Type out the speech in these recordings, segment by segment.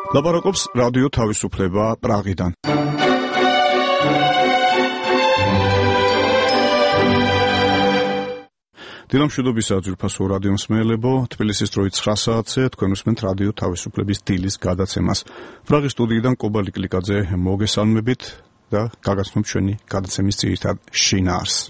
ლაპარაკობს რადიო თავისუფლება პრაღიდან. დილამშვიდობისა ძვირფასო რადიო მსმენელებო, თბილისის დროით 9 საათზე თქვენ უსმენთ რადიო თავისუფლების დილის გადაცემას. პრაღის სტუდიიდან კობალი კლიკაძე მოგესალმებით და გაგაცნობთ ჩვენი გადაცემის ძირითად შინაარსს.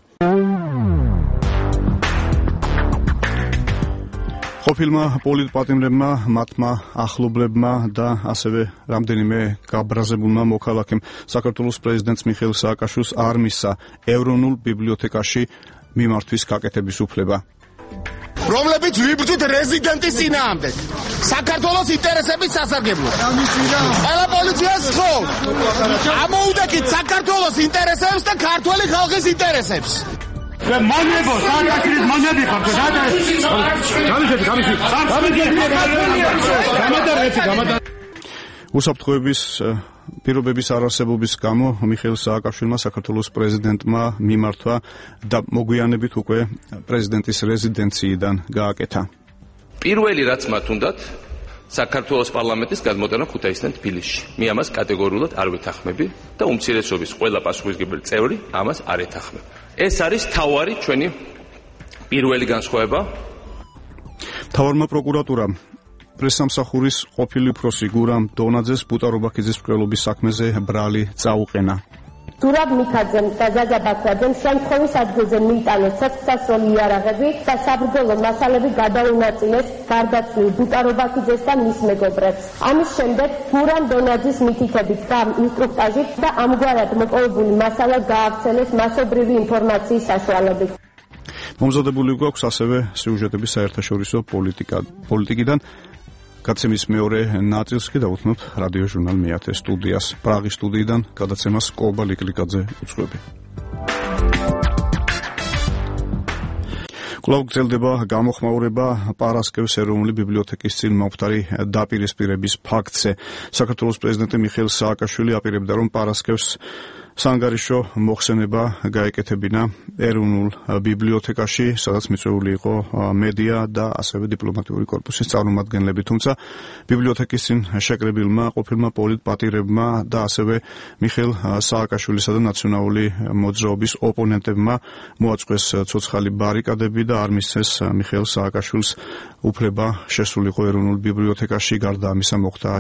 ყოფილმა პოლიტპატიმრებმა, მათმა ახლობლებმა და ასევე რამდენიმე გაბრაზებულმა მოქალაქემ საქართველოს პრეზიდენტს მიხეილ სააკაშვილს არ მისცა ეროვნულ ბიბლიოთეკაში მიმართვის გაკეთების უფლება. რომლებიც ვიბრძვით რეზიდენტის წინააღმდეგ. საქართველოს ინტერესების სასარგებლოდ. ყველა პოლიციას ხო. ამოუდეკით საქართველოს ინტერესებს და ქართველი ხალხის ინტერესებს. მონებო, სააკაშვილის მონები ხართ და გამოდარ. უსაფრთხოების პირობების არარსებობის გამო მიხეილ სააკაშვილმა საქართველოს პრეზიდენტმა მიმართვა და მოგვიანებით უკვე პრეზიდენტის რეზიდენციიდან გააკეთა. პირველი რაც მათ უნდათ საქართველოს პარლამენტის გადმოტანა ქუთაისიდან თბილისში. მე ამას კატეგორიულად არ ვეთანხმები და უმცირესობის ყველა პასუხისმგებელი წევრი ამას არ ეთანხმება. ეს არის თავარი ჩვენი პირველი განსხვავება. მთავარმა პროკურატურამ პრესსამსახურის ყოფილი უფროსი გურამ დონაძეს ბუტარობაქიძის მკვლელობის საქმეზე ბრალი წაუყენა. ზურაბ მიქაძემ და ზაზა ბაქრაძემ შემთხვევის ადგილზე მიიტანეს ცეცხლსასროლი იარაღები და საბრძოლო მასალები გადაუნაწილეს გარდაცვლილ ბუტარობაქიძეს და მის მეგობრებს. ამის შემდეგ გურამ დონაძის მითითებით და ინსტრუქტაჟით და ამგვარად მოპოვებული მასალა გაავრცელეს მასობრივი ინფორმაციის საშუალებით. მომზადებული გვაქვს ასევე სიუჟეტები საერთაშორისო პოლიტიკიდან. გადაცემის მეორე ნაწილს კი დავუთმობთ რადიო ჟურნალ მეათე სტუდიას. პრაღის სტუდიიდან გადაცემას კობალი კლიკაძე უძღვები. კვლავ გრძელდება გამოხმაურება პარასკევს ეროვნული ბიბლიოთეკის წინ მომხდარი დაპირისპირების ფაქტზე. საქართველოს პრეზიდენტი მიხეილ სააკაშვილი აპირებდა, რომ პარასკევს სანგარიშო მოხსენება გაეკეთებინა ეროვნულ ბიბლიოთეკაში, სადაც მიწვეული იყო მედია და ასევე დიპლომატიური კორპუსის წარმომადგენლები, თუმცა ბიბლიოთეკის წინ შეკრებილმა ყოფილმა პოლიტპატიმრებმა და ასევე მიხეილ სააკაშვილისა და ნაციონალური მოძრაობის ოპონენტებმა მოაწყვეს ცოცხალი ბარიკადები და არ მისცეს მიხეილ სააკაშვილს უფლება შესულიყო ეროვნულ ბიბლიოთეკაში. გარდა ამისა მოხდა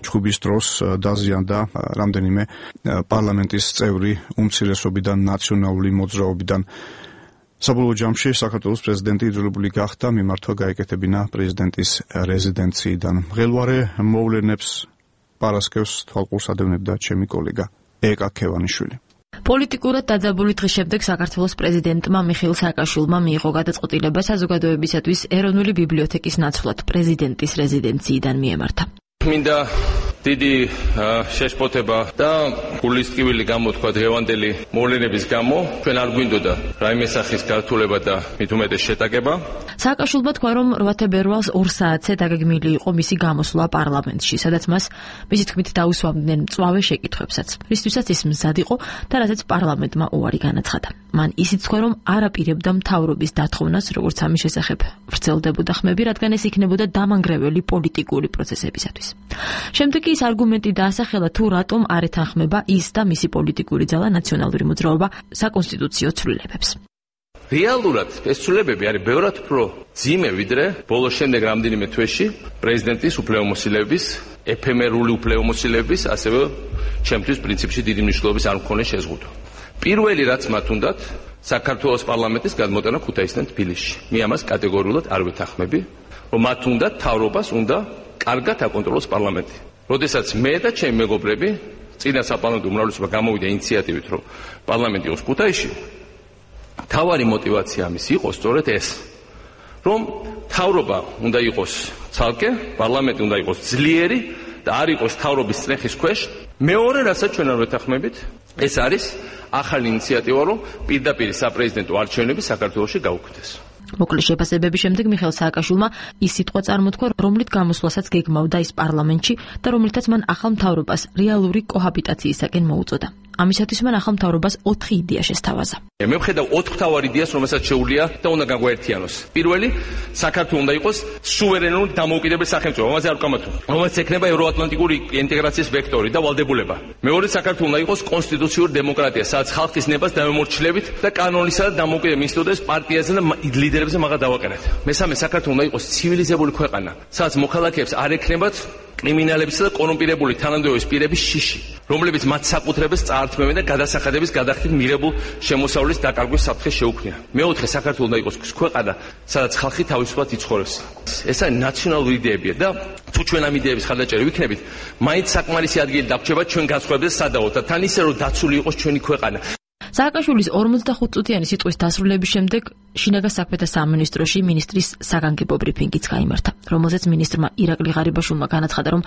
ჩხუბის დროს დაზიანდა რამდენიმე პარლამენტის წევრი უმცირესობიდან, ნაციონალური მოძრაობიდან. საბოლოო ჯამში საქართველოს პრეზიდენტი იძულებული გახდა მიმართვა გაეკეთებინა პრეზიდენტის რეზიდენციიდან. მღელვარე მოვლენებს პარასკევს თვალყურს ადევნებდა ჩემი კოლეგა ეკა ქევანიშვილი. პოლიტიკურად დაძაბული დღის შემდეგ საქართველოს პრეზიდენტმა მიხეილ სააკაშვილმა მიიღო გადაწყვეტილება საზოგადოებისათვის ეროვნული ბიბლიოთეკის ნაცვლად პრეზიდენტის რეზიდენციიდან მიემართა. მინდა დიდი შეშფოთება და გულისწყივილი გამოთქვა დღევანდელი მოვლენების გამო. ჩვენ არ გვინდოდა რაიმე სახის გართულება და მით უმეტეს შეტაკება. სააკაშვილმა თქვა, რომ 8 თებერვალს 2 საათზე დაგეგმილი იყო მისი გამოსვლა პარლამენტში, სადაც მას მისი თქმით დაუსვამდნენ მწვავე შეკითხვებსაც, რისთვისაც ის მზად იყო და რასაც პარლამენტმა უარი განაცხადა. მან ისიც თქვა, რომ არ აპირებდა მთავრობის დათხოვნას, როგორც ამის შესახებ ვრცელდებოდა ხმები, რადგან ეს იქნებოდა დამანგრეველი პოლიტიკური პროცესებისათვის. შემდეგ ის არგუმენტი დაასახელა, თუ რატომ არ ეთანხმება ის და მისი პოლიტიკური ძალა ნაციონალური მოძრაობა საკონსტიტუციო ცვლილებებს. რეალურად ეს ცვლილებები არის ბევრად უფრო ძიმე, ვიდრე ბოლოს შემდეგ რამდენიმე თვეში პრეზიდენტის უფლებამოსილების, ეფემერული უფლებამოსილების, ასევე ჩემთვის პრინციპში დიდი მნიშვნელობის არ მქონე შეზღუდვა. პირველი რაც მათ უნდათ საქართველოს პარლამენტის გადმოტანა ქუთაისიდან თბილისში. მე ამას კატეგორიულად არ ვეთანხმები, რომ მათ უნდათ მთავრობას უნდა კარგად აკონტროლოს პარლამენტი. როდესაც მე და ჩემი მეგობრები წინა საპარლამენტო უმრავლესობა გამოვიდა ინიციატივით, რომ პარლამენტი იყოს ქუთაისში, თავარი мотивация ამის იყო სწორედ ეს, რომ თავრობა უნდა იყოს ცალკე, პარლამენტი უნდა იყოს ძლიერი და არ იყოს თავრობის წნეხის ქვეშ. მეორე რასაც ჩვენ არ ვეთანხმებით, ეს არის ახალი ინიციატივა, რომ პირდაპირ საპრეზიდენტო არჩევნები საქართველოში გაუქმდეს. მოკლე შეფასებების შემდეგ მიხეილ სააკაშვილმა ის სიტყვა წარმოთქვა, რომლით გამოსვლასაც გეგმავდა ის პარლამენტში და რომლითაც მან ახალ მთავრობას რეალური კოჰაბიტაციისაკენ მოუწოდა. ამისათვის მან ახალ მთავრობას 4 იდეა შესთავაზა. მე ვხედავ 4 მთავარ იდეას, რომელსაც შეუძლია და უნდა გაგვაერთიანოს. პირველი, საქართველოს უნდა იყოს სუვერენული დამოუკიდებელი სახელმწიფო, რომელზეც არ ვკამათო, რომელზეც ექნება ევროატლანტიკური ინტეგრაციის ვექტორი და ვალდებულება. მეორე, საქართველოს უნდა იყოს კონსტიტუციური დემოკრატია, სადაც ხალხის ნებას დამემორჩილებით და კანონისა და დამოუკიდებელი ინსტიტუტების პარტიაზე და ლიდერებზე მაგა დავაყენეთ. მესამე, საქართველოს უნდა იყოს ცივილიზებული ქვეყანა, სადაც მოქალაქეებს არ ექნებათ კრიმინალებისა და კორუმპირებული თანამდებობის პირების შიში, რომლებიც მათ საკუთრებას წაართმევენ და გადასახადების გადახდით მიღებულ შემოსავლის დაკარგვის საფრთხეს შეუქმნიან. მეოთხე, საქართველოს უნდა იყოს ქვეყანა, სადაც ხალხი თავისუფლად იცხოვრებს. ეს არის ნაციონალური იდეებია და თუ ჩვენ ამ იდეების ხარდაჭერი ვიქნებით, მაინც საკმარისი ადგილი დაგვრჩება ჩვენ განსხვავებაზე სადავოდ და თან ისე რომ დაცული იყოს ჩვენი ქვეყანა. სააკაშვილის 45 წუთიანი სიტყვის დასრულების შემდეგ შინაგან საქმეთა სამინისტროში მინისტრის საგანგებო ბრიფინგიც გაიმართა, რომელზეც მინისტრმა ირაკლი ღარიბაშვილმა განაცხადა, რომ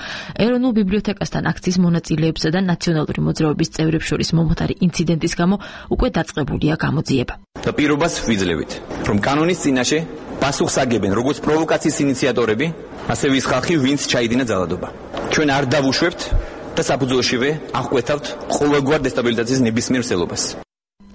ეროვნულ ბიბლიოთეკასთან აქციის მონაწილეებსა და ნაციონალური მოძრაობის წევრებს შორის მომხდარი ინციდენტის გამო უკვე დაწყებულია გამოძიება. და პირობას ვიძლევით, რომ კანონის წინაშე პასუხს აგებენ როგორც პროვოკაციის ინიციატორები, ასევე ის ხალხი, ვინც ჩაიდინა ძალადობა. ჩვენ არ დავუშვებთ და საფუძველშივე აღკვეთავთ ყოველგვარ დესტაბილიზაციის ნებისმიერ სელობას.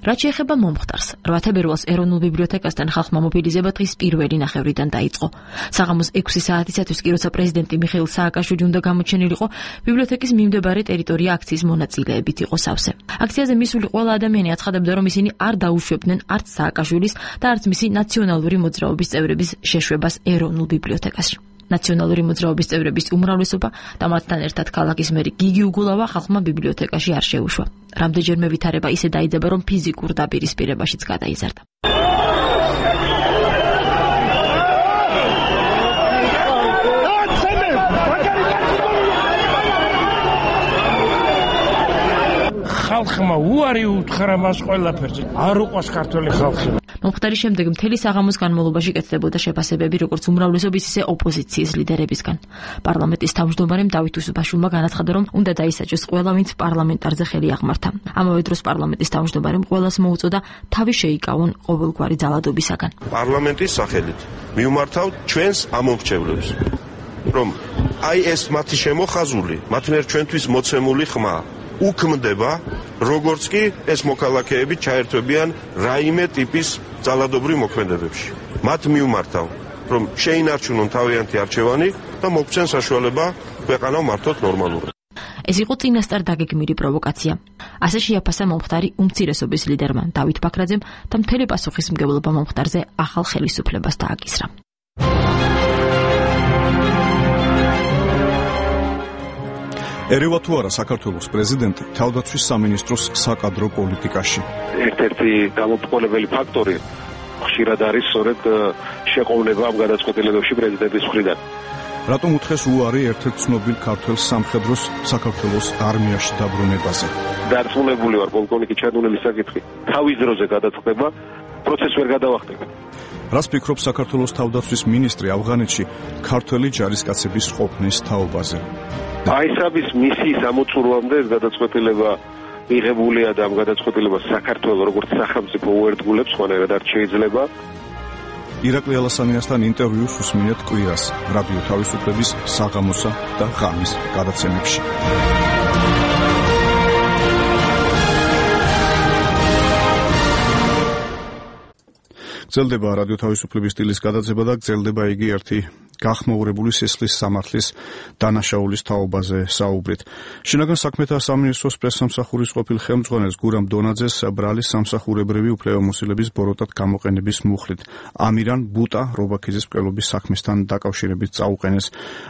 რაც შეეხება მომხდარს, 8 თებერვალს ეროვნულ ბიბლიოთეკასთან ხალხმა მობილიზება დღის პირველი ნახევრიდან დაიწყო. საღამოს 6 საათისათვის კი, როცა პრეზიდენტი მიხეილ სააკაშვილი უნდა გამოჩენილიყო, ბიბლიოთეკის მიმდებარე ტერიტორია აქციის მონაწილეებით იყო სავსე. აქციაზე მისული ყველა ადამიანი აცხადებდა, რომ ისინი არ დაუშვებდნენ არც სააკაშვილის და არც მისი ნაციონალური მოძრაობის წევრების შეშვებას ეროვნულ ბიბლიოთეკაში. ნაციონალური მოძრაობის წევრების უმრავლესობა და მათთან ერთად ქალაქის მერი გიგი უგულავა ხალხმა ბიბლიოთეკაში არ შეუშვა. რამდენჯერმე ვითარება ისე დაიძაბა, რომ ფიზიკურ დაპირისპირებაშიც გადაიზარდა. ხალხმა უარი უთხრა მას ყველაფერზე. არ უყვას ქართველი ხალხი. მომხდარის შემდეგ მთელი საღამოს განმავლობაში კეთდებოდა შეფასებები როგორც უმრავლესობის, ისე ოპოზიციის ლიდერებისგან. პარლამენტის თავმჯდომარემ დავით უსუბაშვილმა განაცხადა, რომ უნდა დაისაჯოს ყველა, ვინც პარლამენტარზე ხელი აღმართა. ამავე დროს პარლამენტის თავმჯდომარემ ყველას მოუწოდა თავი შეიკავონ ყოველგვარი ძალადობისაგან. პარლამენტის სახელით მივმართავთ ჩვენს ამომრჩევლებს, რომ აი ეს მათი შემოხაზული, მათ მიერ ჩვენთვის მოცემული ხმა უქმდება, როგორც კი ეს მოქალაქეები ჩაერთვებიან რაიმე ტიპის ძალადობრივ მოქმედებებში. მათ მივმართავ, რომ შეინარჩუნონ თავიანთი არჩევანი და მოგცენ საშუალება ქვეყანა მართოთ ნორმალურად. ეს იყო წინასწარ დაგეგმილი პროვოკაცია. ასე შეაფასა მომხდარი უმცირესობის ლიდერმა დავით ბაქრაძემ და მთელი პასუხისმგებლობა მომხდარზე ახალ ხელისუფლებას დააკისრა. ერევა თუ არა საქართველოს პრეზიდენტი თავდაცვის სამინისტროს საკადრო პოლიტიკაში. ერთ-ერთი გამომწყვეტებელი ფაქტორი ხშირად არის სწორედ შეყოვნება ამ გადაწყვეტილებებში პრეზიდენტის მხრიდან. რატომ უთხეს უარი ერთ-ერთ ცნობილ ქართველ სამხედროს საქართველოს არმიაში დაბრუნებაზე? დარწმუნებული ვარ, პოლკოვნიკი ჩადუნელის საკითხი თავის დროზე გადაწყდება, პროცესს ვერ გადავახტებ. რას ფიქრობს საქართველოს თავდაცვის მინისტრი ავღანეთში ქართველი ჯარისკაცების ყოფნის თაობაზე? აისაბის მისიის ამოწურვამდე ეს გადაწყვეტილება მიღებულია და ამ გადაწყვეტილებას საქართველოს როგორც სახელმწიფო უერთგულებს, ხანერად არ შეიძლება. ირაკლი ალასანიასთან ინტერვიუს უსმინეთ კვირას რადიო თავისუფლების საღამოსა და ღამის გადაცემებში. გრძელდება რადიო თავისუფლების სტილის გადაცემა და გრძელდება იგი ერთი გახმაურებული სისხლის სამართლის დანაშაულის თაობაზე საუბრით. შინაგან საქმეთა სამინისტროს პრესსამსახურის ყოფილ ხელმძღვანელს გურამ დონაძეს ბრალის სამსახურებრივი უფლებამოსილების ბოროტად გამოყენების მუხლით ამირან ბუტა რობაქიძის მკვლელობის საქმესთან დაკავშირებით წაუყენეს.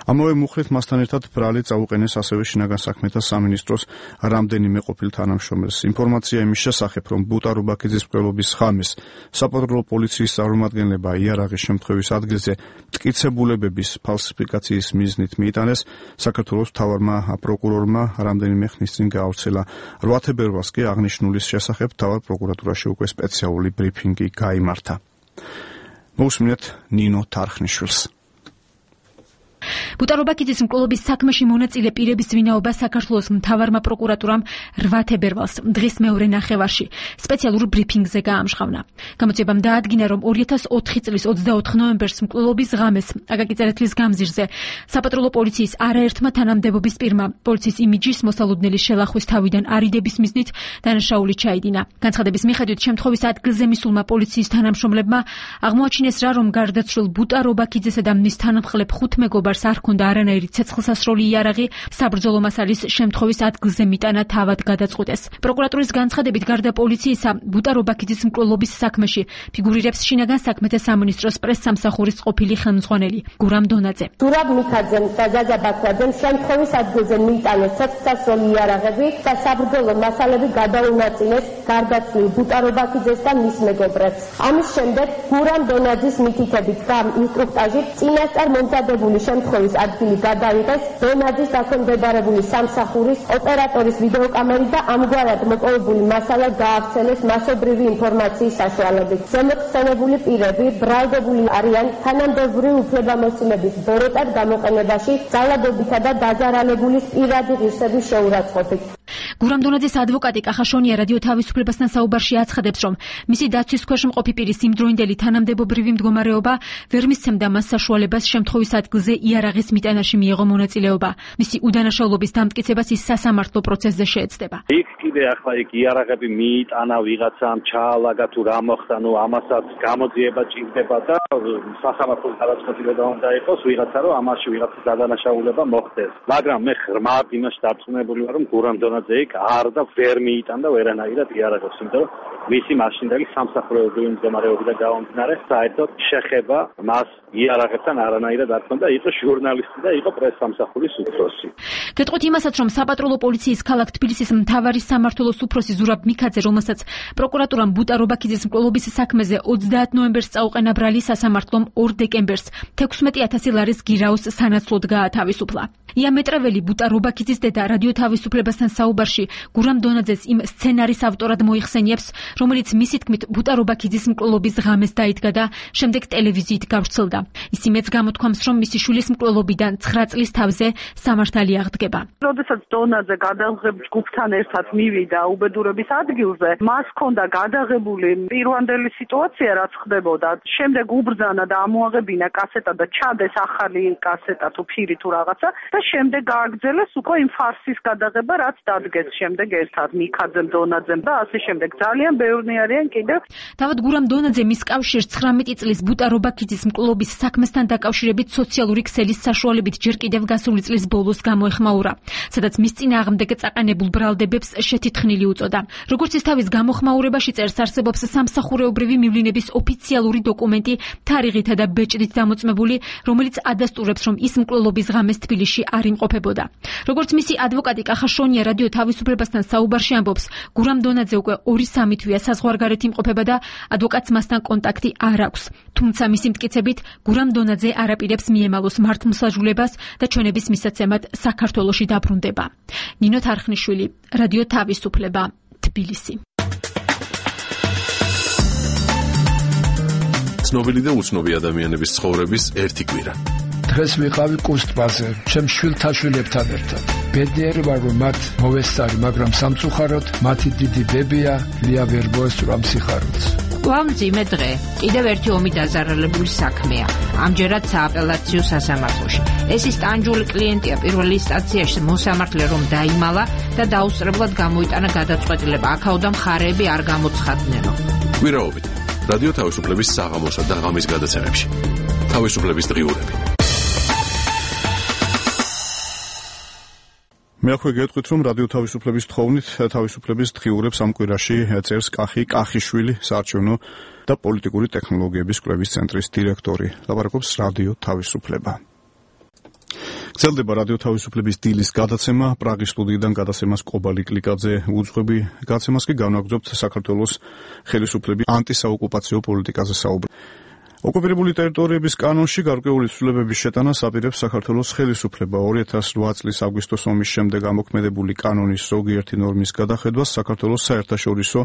ამავე მუხლით მასთან ერთად ბრალი წაუყენეს ასევე შინაგან საქმეთა სამინისტროს რამდენიმე ყოფილ თანამშრომელს. ინფორმაცია იმის შესახებ, რომ ბუტა რობაქიძის მკვლელობის ხამის საპატრულო პოლიციის წარმომადგენლება იარაღის შემთხვევის ადგილზე მტკიცებულებების ფალსიფიკაციის მიზნით მიიტანეს, საქართველოს მთავარმა პროკურორმა რამდენიმე ხნის წინ გაავრცელა. 8 თებერვალს კი აღნიშნულის შესახებ მთავარ პროკურატურაში უკვე სპეციალური ბრიფინგი გაიმართა. მოусმინეთ ნინო თარხნიშვილს. ბუტარობაქიძის მკვლელობის საქმეში მონაწილე პირების ვინაობა საქართველოს მთავარმა პროკურატურამ 8 თებერვალს დღის მეორე ნახევარში სპეციალურ ბრიფინგზე გაამჟღავნა. გამოძიებამ დაადგინა, რომ 2004 წლის 24 ნოემბერს მკვლელობის ღამეს აკაკი წერეთლის გამზირზე საპატრულო პოლიციის არაერთმა თანამდებობის პირმა პოლიციის იმიჯის მოსალოდნელი შელახვის თავიდან არიდების მიზნით დანაშაული ჩაიდინა. განცხადების მიხედვით შემთხვევის ადგილზე მისულმა პოლიციის თანამშრომლებმა აღმოაჩინეს რა, რომ გარდაცვლილ ბუტარობაქიძესა და მის თანამხლებ 5 მეგობარს არ ჰქონდა არანაირი ცეცხლსასროლი იარაღი, საბრძოლო მასალის შემთხვევის ადგილზე მიტანა თავად გადაწყვიტეს. პროკურატურის განცხადებით, გარდა პოლიციისა, ბუტარობაქიძის მკვლელობის საქმეში ფიგურირებს შინაგან საქმეთა სამინისტროს პრესსამსახურის ყოფილი ხელმძღვანელი გურამ დონაძე. ზურაბ მიქაძემ და ზაზა ბაქრაძემ შემთხვევის ადგილზე მიიტანეს ცეცხლსასროლი იარაღები და საბრძოლო მასალები გადაუნაწილეს გარდაცვლილ ბუტარობაქიძეს და მის მეგობრებს. ამის შემდეგ გურამ დონაძის მითითებით და ინსტრუქტაჟით წინასწარ მომზადებული შემთხვევის ადგილი გადაიღეს დონაძის დაქვემდებარებული სამსახურის ოპერატორის ვიდეოკამერით და ამგვარად მოპოვებული მასალა გაავრცელეს მასობრივი ინფორმაციის საშუალებით. ზემოხსენებული პირები ბრალდებული არიან თანამდებობრივი უფლებამოსილების ბოროტად გამოყენებაში ძალადობითა და დაზარალებულის პირადი ღირსების შეურაცხყოფით. გურამ დონაძის ადვოკატი კახაშონია რადიო თავისუფლებასთან საუბარში აცხადებს, რომ მისი დაცვის ქვეშ მყოფი პირის იმდროინდელი თანამდებობრივი მდგომარეობა ვერ მისცემდა მას საშუალებას შემთხვევის ადგილზე იარაღის მიტანაში მიეღო მონაწილეობა. მისი უდანაშაულობის დამტკიცებას ის სასამართლო პროცესზე შეეცდება. იქ კიდე ახლა იქ იარაღები მიიტანა ვიღაცამ, ჩაალაგა თუ რა მოხდა, ამასაც გამოძიება ჭირდება და სასამართლოს გადაწყვეტილება უნდა იყოს ვიღაცა, რომ ამაში ვიღაცის გადანაშაულება მოხდეს. მაგრამ მე ღრმად იმაში დარწმუნებული ვარ, რომ გურამ დონაძე არ და ვერ მიიტანდა ვერანაირად იარაღებს, იმიტომ რომ მისი მაშინდელი სამსახურეობრივი მდგომარეობიდან გამომდინარე, საერთოდ შეხება მას იარაღებთან არანაირად არ ჰქონდა, იყო ჟურნალისტი და იყო პრესსამსახურის უფროსი. გეტყვით იმასაც, რომ საპატრულო პოლიციის ქალაქ თბილისის მთავარი სამმართველოს უფროსი ზურაბ მიქაძე, რომელსაც პროკურატურამ ბუტარობაქიძის მკვლელობის საქმეზე 30 ნოემბერს წაუყენა ბრალი, სასამართლომ 2 დეკემბერს 16,000 ლარის გირაოს სანაცვლოდ გაათავისუფლა. იამეტრეველი ბუტარობაქიძის დედა რადიო თავისუფლებასთან საუბარში გურამ დონაძეს იმ სცენარის ავტორად მოიხსენიებს, რომელიც მისი თქმით ბუტარობაქიძის მკვლელობის ღამეს დაიდგა და შემდეგ ტელევიზიით გავრცელდა. ის იმეც გამოთქვამს, რომ მისი შვილის მკვლელობიდან 9 წლის თავზე სამართალი აღდგება. როდესაც დონაძე გადაღებ ჯგუფთან ერთად მივიდა უბედურების ადგილზე, მას ჰქონდა გადაღებული პირვანდელი სიტუაცია, რაც ხდებოდა. შემდეგ უბრძანა და ამოაღებინა კასეტა და ჩადეს ახალი კასეტა თუ ფირი თუ რაღაცა და შემდეგ გააგრძელეს უკვე იმ ფარსის გადაღება, რაც დადგეს შემდეგ ერთად მიქაძემ, დონაძემ და ასე შემდეგ. ძალიან ბევრი არიან კიდევ. თავად გურამ დონაძე მის კავშირს 19 წლის ბუტარობაქიძის მკვლელობის საქმესთან დაკავშირებით სოციალური ქსელის საშუალებით ჯერ კიდევ გასული წლის ბოლოს გამოეხმაურა, სადაც მის წინააღმდეგ წაყენებულ ბრალდებებს შეთითხნილი უწოდა. როგორც ის თავის გამოხმაურებაში წერს, არსებობს სამსახურეობრივი მივლინების ოფიციალური დოკუმენტი თარიღითა და ბეჭდით დამოწმებული, რომელიც ადასტურებს, რომ ის მკვლელობის ღამეს თბილისში არ იმყოფებოდა. როგორც მისი ადვოკატი კახაშონია რადიო თავისუფლებასთან საუბარში ამბობს, გურამ დონაძე უკვე 2-3 თვეა საზღვარგარეთ იმყოფება და ადვოკატს მასთან კონტაქტი არ აქვს. თუმცა მისი მტკიცებით, გურამ დონაძე არაპირებს მიემალოს მართლმსაჯულებას და ჩვენების მისაცემად საქართველოში დაბრუნდება. ნინო თარხნიშვილი, რადიო თავისუფლება, თბილისი. ცნობილი და უცნობი ადამიანების ცხოვრების ერთი კვირა. დღეს ვიყავი კუსტბაზე, ჩემ შვილთაშვილებთან ერთად. ბედნიერი ვარ, რომ მათ მოვესწარი, მაგრამ სამწუხაროდ მათი დიდი ბებია ლია ვერ მოესწრო სიხარულს. მძიმე დღე, კიდევ ერთი ომი დაზარალებული საქმეა. ამჯერად სააპელაციო სასამართლოში. ეს ის ტანჯული კლიენტია პირველ ინსტანციაში მოსამართლე რომ დაიმალა და დაუსწრებლად გამოიტანა გადაწყვეტილება. აქაოდან მხარეები არ გამოცხადნენო. კვირაობით რადიო თავისუფლების საღამოსა და ღამის გადაცემებში. თავისუფლების დღიურები. მე აქვე გეტყვით, რომ რადიო თავისუფლების თხოვნით თავისუფლების დღიურებს ამ კვირაში წერს კახიშვილი, საარჩევნო და პოლიტიკური ტექნოლოგიების კვლევის ცენტრის დირექტორი. ლაპარაკობს რადიო თავისუფლება. გრძელდება რადიო თავისუფლების დილის გადაცემა, პრაღის სტუდიიდან გადაცემას კობალი კლიკაძე უძღვები. გადაცემას კი განაგრძობთ საქართველოს ხელისუფლების ანტისაოკუპაციო პოლიტიკაზე საუბარი. ოკუპირებული ტერიტორიების კანონში გარკვეული ცვლილებების შეტანას აპირებს საქართველოს ხელისუფლება. 2008 წლის აგვისტოს ომის შემდეგ ამოქმედებული კანონის ზოგიერთი ნორმის გადახედვას საქართველოს საერთაშორისო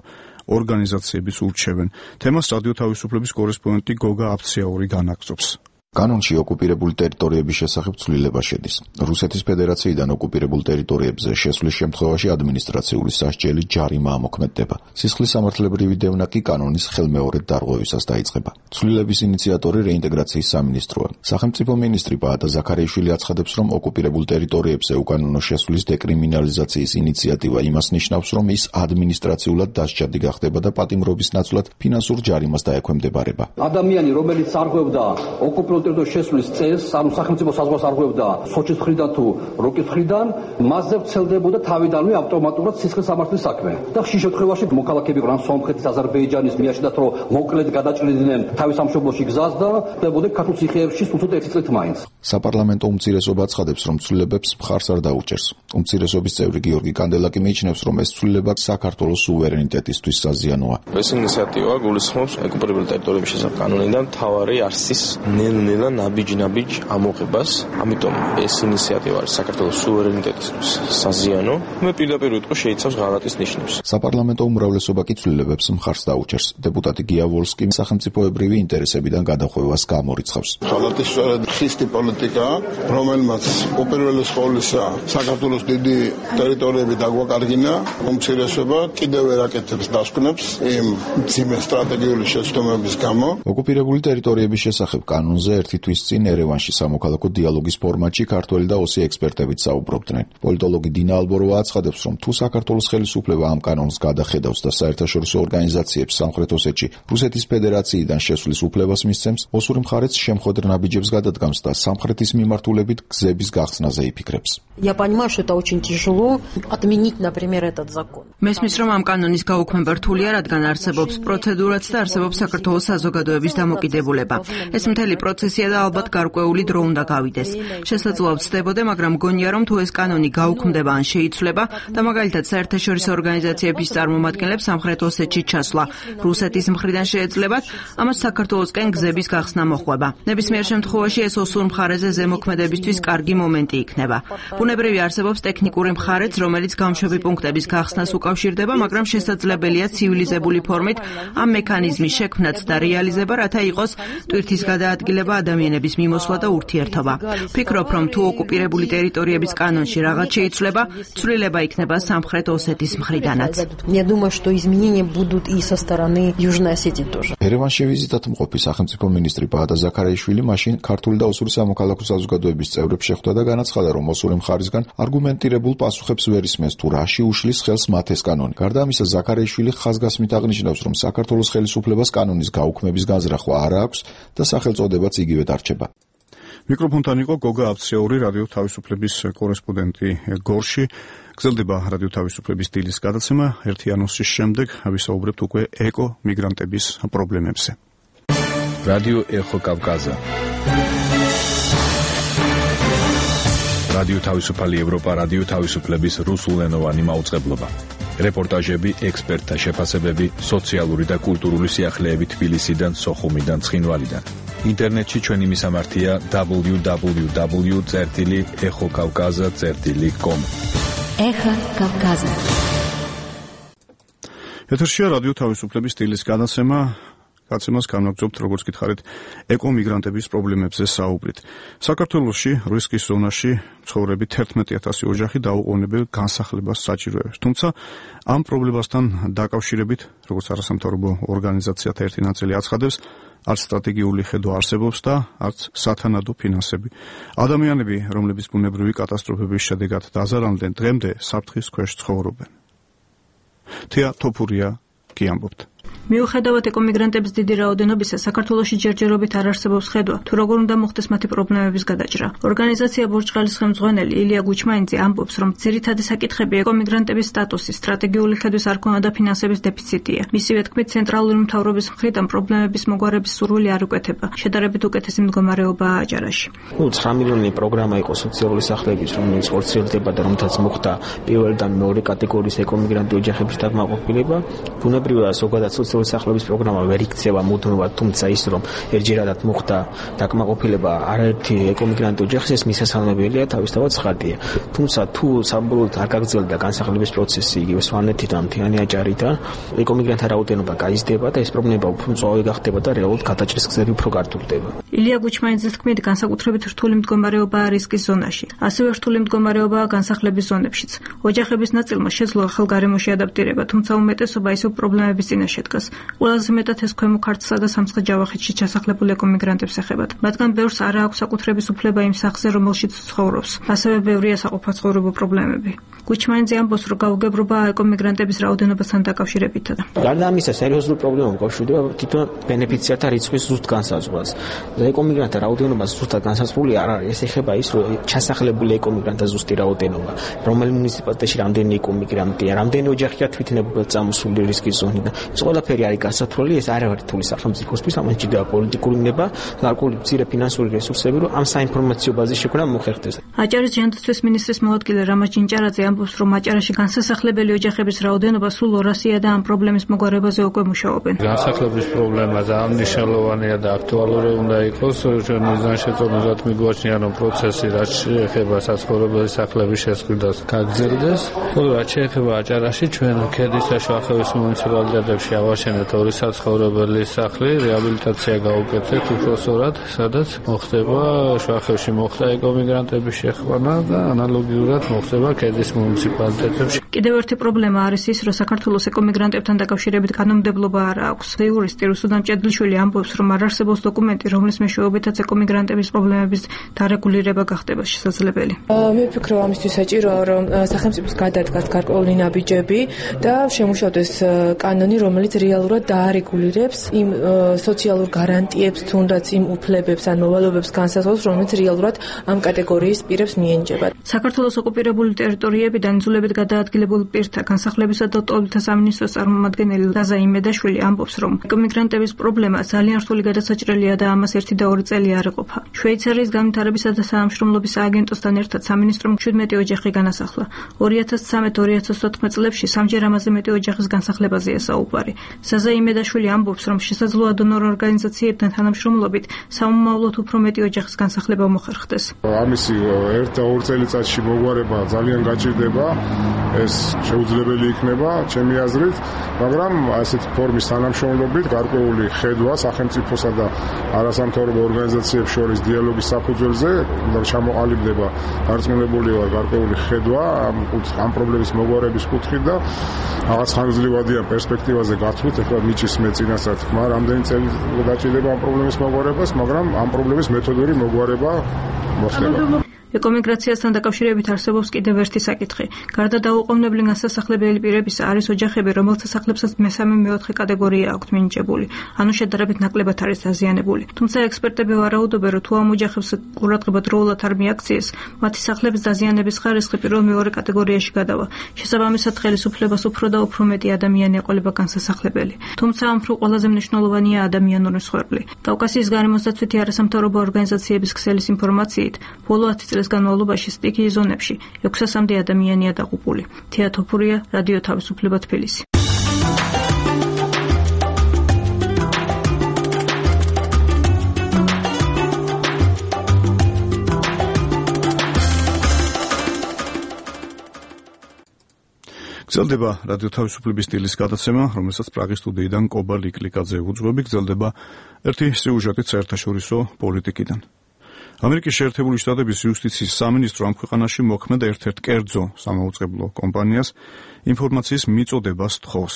ორგანიზაციებიც ურჩევენ. თემას რადიო თავისუფლების კორესპონდენტი გოგა აფციაური განაგრძობს. კანონში ოკუპირებული ტერიტორიების შესახებ ცვლილება შედის. რუსეთის ფედერაციიდან ოკუპირებულ ტერიტორიებზე შესვლის შემთხვევაში ადმინისტრაციული სასჯელი ჯარიმა ამოქმედდება. სისხლის სამართლებრივი დევნა კი კანონის ხელმეორედ დარღვევისას დაიწყება. ცვლილების ინიციატორი რეინტეგრაციის სამინისტროა. სახელმწიფო მინისტრი ბაატა ზაქარიაშვილი აცხადებს, რომ ოკუპირებულ ტერიტორიებზე უკანონო შესვლის დეკრიმინალიზაციის ინიციატივა იმას ნიშნავს, რომ ის ადმინისტრაციულად დასჯადი გახდება და პატიმრობის ნაცვლად ფინანსურ ჯარიმას დაექვემდებარება. ადამიანი, რომელიც არღვევდა ოკუპირებულ ტერიტორიაზე შესვლის წესს, ანუ სახელმწიფო საზღვარს არღვევდა სოჭის მხრიდან თუ როკის მხრიდან, მასზე ვრცელდებოდა თავიდანვე ავტომატურად სისხლის სამართლის საქმე. და ხშირ შემთხვევაში მოქალაქეები ყრან სომხეთის, აზერბაიჯანის მიაჩნდათ, რომ მოკლედ გადაჭრიდნენ თავის სამშობლოში გზას და ხდებოდნენ ქართულ ციხეებში თუცოდ 1 წლით მაინც. საპარლამენტო უმცირესობა აცხადებს, რომ ცვლილებებს მხარს არ დაუჭერს. უმცირესობის წევრი გიორგი კანდელაკი მიიჩნევს, რომ ეს ცვლილება საქართველოს სუვერენიტეტისთვის საზიანოა. ეს ინიციატივა გულისხმობს ოკუპირებულ ტერიტორიების შესახებ კანონიდან მთავარი არსის ნელ-ნელა ნაბიჯ-ნაბიჯ ამოღებას. ამიტომ ეს ინიციატივა არის საქართველოს სუვერენიტეტისთვის საზიანო. მე პირდაპირ ვიტყვი, შეიცავს ღალატის ნიშნებს. საპარლამენტო უმრავლესობა კი ცვლილებებს მხარს დაუჭერს. დეპუტატი გია ვოლსკი სახელმწიფოებრივი ინტერესებიდან გადახვევას გამორიცხავს. ღალატის სწორედ ხისტი პოლიტიკა, რომელმაც უპირველეს ყოვლისა საქართველოს დიდი ტერიტორიები დაგვაკარგინა, უმცირესობა კიდევ ვერ აკეთებს დასკვნებს იმ მძიმე სტრატეგიული შეცდომების გამო. ოკუპირებული ტერიტორიების შესახებ კანონზე ერთი თვის წინ ერევანში სამოქალაქო დიალოგის ფორმატში ქართველი და ოსი ექსპერტებით საუბრობდნენ. პოლიტოლოგი დინა ალბოროვა აცხადებს, რომ თუ საქართველოს ხელისუფლება ამ კანონს გადახედავს და საერთაშორისო ორგანიზაციებს სამხრეთ ოსეთში რუსეთის ფედერაციიდან შესვლის უფლებას მისცემს, ოსური მხარეც შემხოდრ ნაბიჯებს გადადგამს და სამხრეთის მიმართულებით გზების გახსნაზე იფიქრებს. Я понимаю, что это очень тяжело отменить, например, этот закон. მესმის, რომ ამ კანონის გაუქმება რთულია, რადგან არსებობს პროცედურაც და არსებობს საქართველოს საზოგადოების დამოკიდებულება. ეს მთელი პროცესია და ალბათ გარკვეული დრო უნდა გავიდეს. შესაძლოა ვცდებოდე, მაგრამ მგონია, რომ თუ ეს კანონი გაუქმდება ან შეიცვლება და მაგალითად საერთაშორისო ორგანიზაციების წარმომადგენლებს სამხრეთ ოსეთში ჩასვლა რუსეთის მხრიდან შეეძლებათ, ამას საქართველოსკენ გზების გახსნა მოხვება. ნებისმიერ შემთხვევაში ეს ოსურ მხარეზე ზემოქმედებისთვის კარგი მომენტი იქნება. ბუნებრივი არსებობს ტექნიკური მხარეც, რომელიც გამშვები პუნქტების გახსნას უკავშირდება, მაგრამ შესაძლებელია ცივილიზებული ფორმით ამ მექანიზმის შექმნაც და რეალიზება, რათა იყოს ტვირთის გადაადგილება, ადამიანების მიმოსვლა და ურთიერთობა. ვფიქრობ, რომ თუ ოკუპირებული ტერიტორიების კანონში რაღაც შეიცვლება, ცვლილება იქნება სამხრეთ ოსეთის მხრიდანაც. Я думаю, что изменения будут и со стороны Южной Осетии тоже. ერევანში ვიზიტად მყოფი სახელმწიფო მინისტრი ბაატა ზაქარიაშვილი მაშინ ქართული და ოსური სამოქალაქო საზოგადოების წევრებს შეხვდა და განაცხადა, რომ ოსური მხარისგან არგუმენტირებულ პასუხებს ვერ ისმენს თუ რაში უშლის ხელს მათ ეს კანონი. გარდა ამისა, ზაქარიაშვილი ხაზგასმით აღნიშნავს, რომ საქართველოს ხელისუფლებას კანონის გაუქმების განზრახვა არ აქვს და სახელწოდებაც იგივე დარჩება. მიკროფონთან იყო გოგა აფციური, რადიო თავისუფლების კორესპონდენტი გორში. გრძელდება რადიო თავისუფლების დილის გადაცემა. ერთი ანონსის შემდეგ ვისაუბრებთ უკვე ეკო-მიგრანტების პრობლემებზე. რადიო ეხო კავკაზა. რადიო თავისუფალი ევროპა, რადიო თავისუფლების რუსულენოვანი მაუწყებლობა. რეპორტაჟები, ექსპერტთა შეფასებები, სოციალური და კულტურული სიახლეები თბილისიდან, სოხუმიდან, ცხინვალიდან. ინტერნეტში ჩვენი მისამართია www.exokavkaza.com. ეხა კავკაზა. ეთერშია რადიო თავისუფლების დილის გადაცემა. გადაცემას განაგრძობთ, როგორც გითხარით, ეკო-მიგრანტების პრობლემებზე საუბრით. საქართველოში რისკის ზონაში მცხოვრები 11,000 ოჯახი დაუყოვნებელ განსახლებას საჭიროებს. თუმცა ამ პრობლემასთან დაკავშირებით, როგორც არასამთავრობო ორგანიზაციათა ერთი ნაწილი აცხადებს, არც სტრატეგიული ხედვა არსებობს და არც სათანადო ფინანსები. ადამიანები, რომლებიც ბუნებრივი კატასტროფების შედეგად დაზარალდნენ, დღემდე საფრთხის ქვეშ ცხოვრობენ. თეა თოფურია კი ამბობთ. მიუხედავად ეკომიგრანტების დიდი რაოდენობისა, საქართველოში ჯერჯერობით არ არსებობს ხედვა, თუ როგორ უნდა მოხდეს მათი პრობლემების გადაჭრა. ორგანიზაცია ბორჯღალის ხელმძღვანელი ილია გუჩმაინძე ამბობს, რომ ძირითადი საკითხები ეკომიგრანტების სტატუსის, სტრატეგიული ხედვის არქონა და ფინანსების დეფიციტია. მისივე თქმით, ცენტრალური მთავრობის მხრიდან პრობლემების მოგვარების სურვილი არ უკეთება. შედარებით უკეთესი მდგომარეობაა აჭარაში. 9 მილიონი პროგრამა იყო სოციალური სახლების, რომელიც ხორციელდება და რომთაც მოხდა პირველი და მეორე კატეგორიის ეკომიგრანტი ოჯახების დაკმაყოფილება. ბუნებრივია, ზოგადად სოციალური საქართველოს სახელობის პროგრამა ვერ იქცევა მუდმივად, თუმცა ის რომ ერთჯერადად მოხდა დაკმაყოფილება არაერთი ეკომიგრანტი ოჯახის ეს მისასალმებელია, თავისთავად ცხადია. თუმცა თუ საბოლოოდ არ გაგრძელდა განსახილების პროცესი იგივე სვანეთით ან მთიანი აჭარიდან, ეკომიგრანტთა რაოდენობა გაიზრდება და ეს პრობლემა უფრო მწვავე გახდება და რეალურად გადაჭრის გზები უფრო გართულდება. ილია გუჩმაინძის თქმით, განსაკუთრებით რთული მდგომარეობაა რისკის ზონაში. ასევე რთული მდგომარეობაა განსახლების ზონებშიც. ოჯახების ნაწილმა შეძლო ახალ გარემოში ადაპტირება, თუმცა უმეტესობა ისევ პრობლემების წინაშე დგას. ყველაზე მეტად ეს ქვემო ქართლსა და სამცხე-ჯავახეთში ჩასახლებულ ეკომიგრანტებს ეხებათ. მათგან ბევრს არ აქვს საკუთრების უფლება იმ სახლზე, რომელშიც ცხოვრობს. ასევე ბევრია საყოფაცხოვრებო პრობლემები. გუჩმაინძე ამბობს, რომ გაუგებრობაა ეკომიგრანტების რაოდენობასთან დაკავშირებითად. გარდა ამისა, სერიოზული პრობლემა უკავშირდება თვითონ ბენეფიციართა რიცხვის ზუსტ განსაზღვრას. ეკომიგრანტთა რაოდენობა ზუსტად განსაზღვრული არ არის. ეს ეხება ის, რომ ჩასახლებული ეკომიგრანტთა ზუსტი რაოდენობა, რომელი მუნიციპალიტეტში რამდენი ეკომიგრანტია, რამდენი ოჯახია თვითნებურად წამოსული რისკის ზონიდან. ეს ყველაფერი არის გასათვლელი, ეს არ არის რთული სახელმწიფოსთვის, ამას ჭირდება პოლიტიკური ნება, გარკვეული მცირე ფინანსური რესურსები, რომ ამ საინფორმაციო ბაზის შექმნა მოხერხდეს. აჭარის ჯანდაცვის მინისტრის მოადგილე რამაზ ჯინჭარაძე ამბობს, რომ აჭარაში განსასახლებელი ოჯახების რაოდენობა სულ 200-ია და ამ პრობლემის მოგვარებაზე უკვე მუშაობენ. განსახლების პრობლემა ძალიან მნიშვნელოვანია და აქტუალური უნდა იყოს. ჩვენ მიზან შეწონილად მიგვაჩნია, რომ პროცესი რაც შეეხება საცხოვრებელი სახლების შესყიდვას გაგრძელდეს. რაც შეეხება აჭარაში, ჩვენ ქედის და შუახევის მუნიციპალიტეტებში ავაშენეთ 2 საცხოვრებელი სახლი, რეაბილიტაცია გავუკეთეთ უფროსურად, სადაც მოხდება შუახევში მოხდა ეკომიგრანტების შეხვედრა და ანალოგიურად მოხდება ქედის მუნიციპალიტეტებში. კიდევ ერთი პრობლემა არის ის, რომ საქართველოს ეკომიგრანტებთან დაკავშირებით კანონმდებლობა არ აქვს. იურისტი რუსუდან ჭედლიშვილი ამბობს, რომ არ არსებობს დოკუმენტი, რომლის მეშვეობითაც ეკომიგრანტების პრობლემების დარეგულირება გახდება შესაძლებელი. მე ვფიქრობ, ამისთვის საჭიროა, რომ სახელმწიფოს გადადგას გარკვეული ნაბიჯები და შემუშავდეს კანონი, რომელიც რეალურად დაარეგულირებს იმ სოციალურ გარანტიებს, თუნდაც იმ უფლებებს ან მოვალეობებს განსაზღვრავს, რომელიც რეალურად ამ კატეგორიის პირებს მიენიჭება. საქართველოს ოკუპირებული ტერიტორიებიდან იძულებით გადაადგილებულ პირთა განსახლებისა და ტოლთა სამინისტროს წარმომადგენელი ლაზა იმედაშვილი ამბობს, რომ ეკომიგრანტების პრობლემა ძალიან რთული გადასაჭრელია და ამას 1 და 2 წელი არ ეყოფა. შვეიცარიის განვითარებისა და საამშრომლობის სააგენტოსთან ერთად სამინისტრომ 17 ოჯახი განასახლა. 2013-2014 წლებში 3-ჯერ ამაზე მეტი ოჯახის განსახლებაზეა საუბარი. ლაზა იმედაშვილი ამბობს, რომ შესაძლოა დონორ ორგანიზაციებთან თანამშრომლობით სამომავლოდ უფრო მეტი ოჯახის განსახლება მოხერხდეს. ამისი 1 და 2 წელიწადში მოგვარება ძალიან გაჭირდება, ეს შეუძლებელი იქნება ჩემი აზრით, მაგრამ ასეთ ფორმის თანამშრომლობით გარკვეული ხედვა სახელმწიფოსა და არასამთავრობო ორგანიზაციებს შორის დიალოგის საფუძველზე ჩამოყალიბდება გარწმუნებული ვარ გარკვეული ხედვა ამ პრობლემის მოგვარების კუთხით და რაღაც ხანგრძლივადიან პერსპექტივაზე გათვლით, ეხლა მიჭის მე წინასწარ თქმა, რამდენი წელი გაჭირდება ამ პრობლემის მოგვარებას, მაგრამ ამ პრობლემის მეთოდური მოგვარება მოხდება. ეკომიგრაციასთან დაკავშირებით არსებობს კიდევ ერთი საკითხი. გარდა დაუყოვნებლივ განსასახლებელი პირებისა არის ოჯახები, რომელთა სახლებსაც მე-3-მე-4 კატეგორია აქვთ მინიჭებული, ანუ შედარებით ნაკლებად არის დაზიანებული. თუმცა ექსპერტები ვარაუდობენ, რომ თუ ამ ოჯახებს ყურადღება დროულად არ მიაქციეს, მათი სახლების დაზიანების ხარისხი პირველ-მეორე კატეგორიაში გადავა. შესაბამისად, ხელისუფლებას უფრო და უფრო მეტი ადამიანი ეყოლება განსასახლებელი. თუმცა ამ მხრივ ყველაზე მნიშვნელოვანია ადამიანური მსხვერპლი. კავკასიის გარემოსდაცვითი არასამთავრობო ორგანიზაციების ქსელის ინფორმაციით, ბოლო 10 წლის განმავლობაში სტიქიის ზონებში 600-მდე ადამიანია დაღუპული. თეა თოფურია, რადიო თავისუფლება თბილისი. გრძელდება რადიო თავისუფლების სტილის გადაცემა, რომელსაც პრაღის სტუდიიდან კობა ლიკლიკაძე უძღვები. გრძელდება ერთი სიუჟეტით საერთაშორისო პოლიტიკიდან. ამერიკის შეერთებული შტატების იუსტიციის სამინისტრო ამ ქვეყანაში მოქმედ ერთ-ერთ კერძო სამაუწყებლო კომპანიას ინფორმაციის მიწოდებას თხოვს.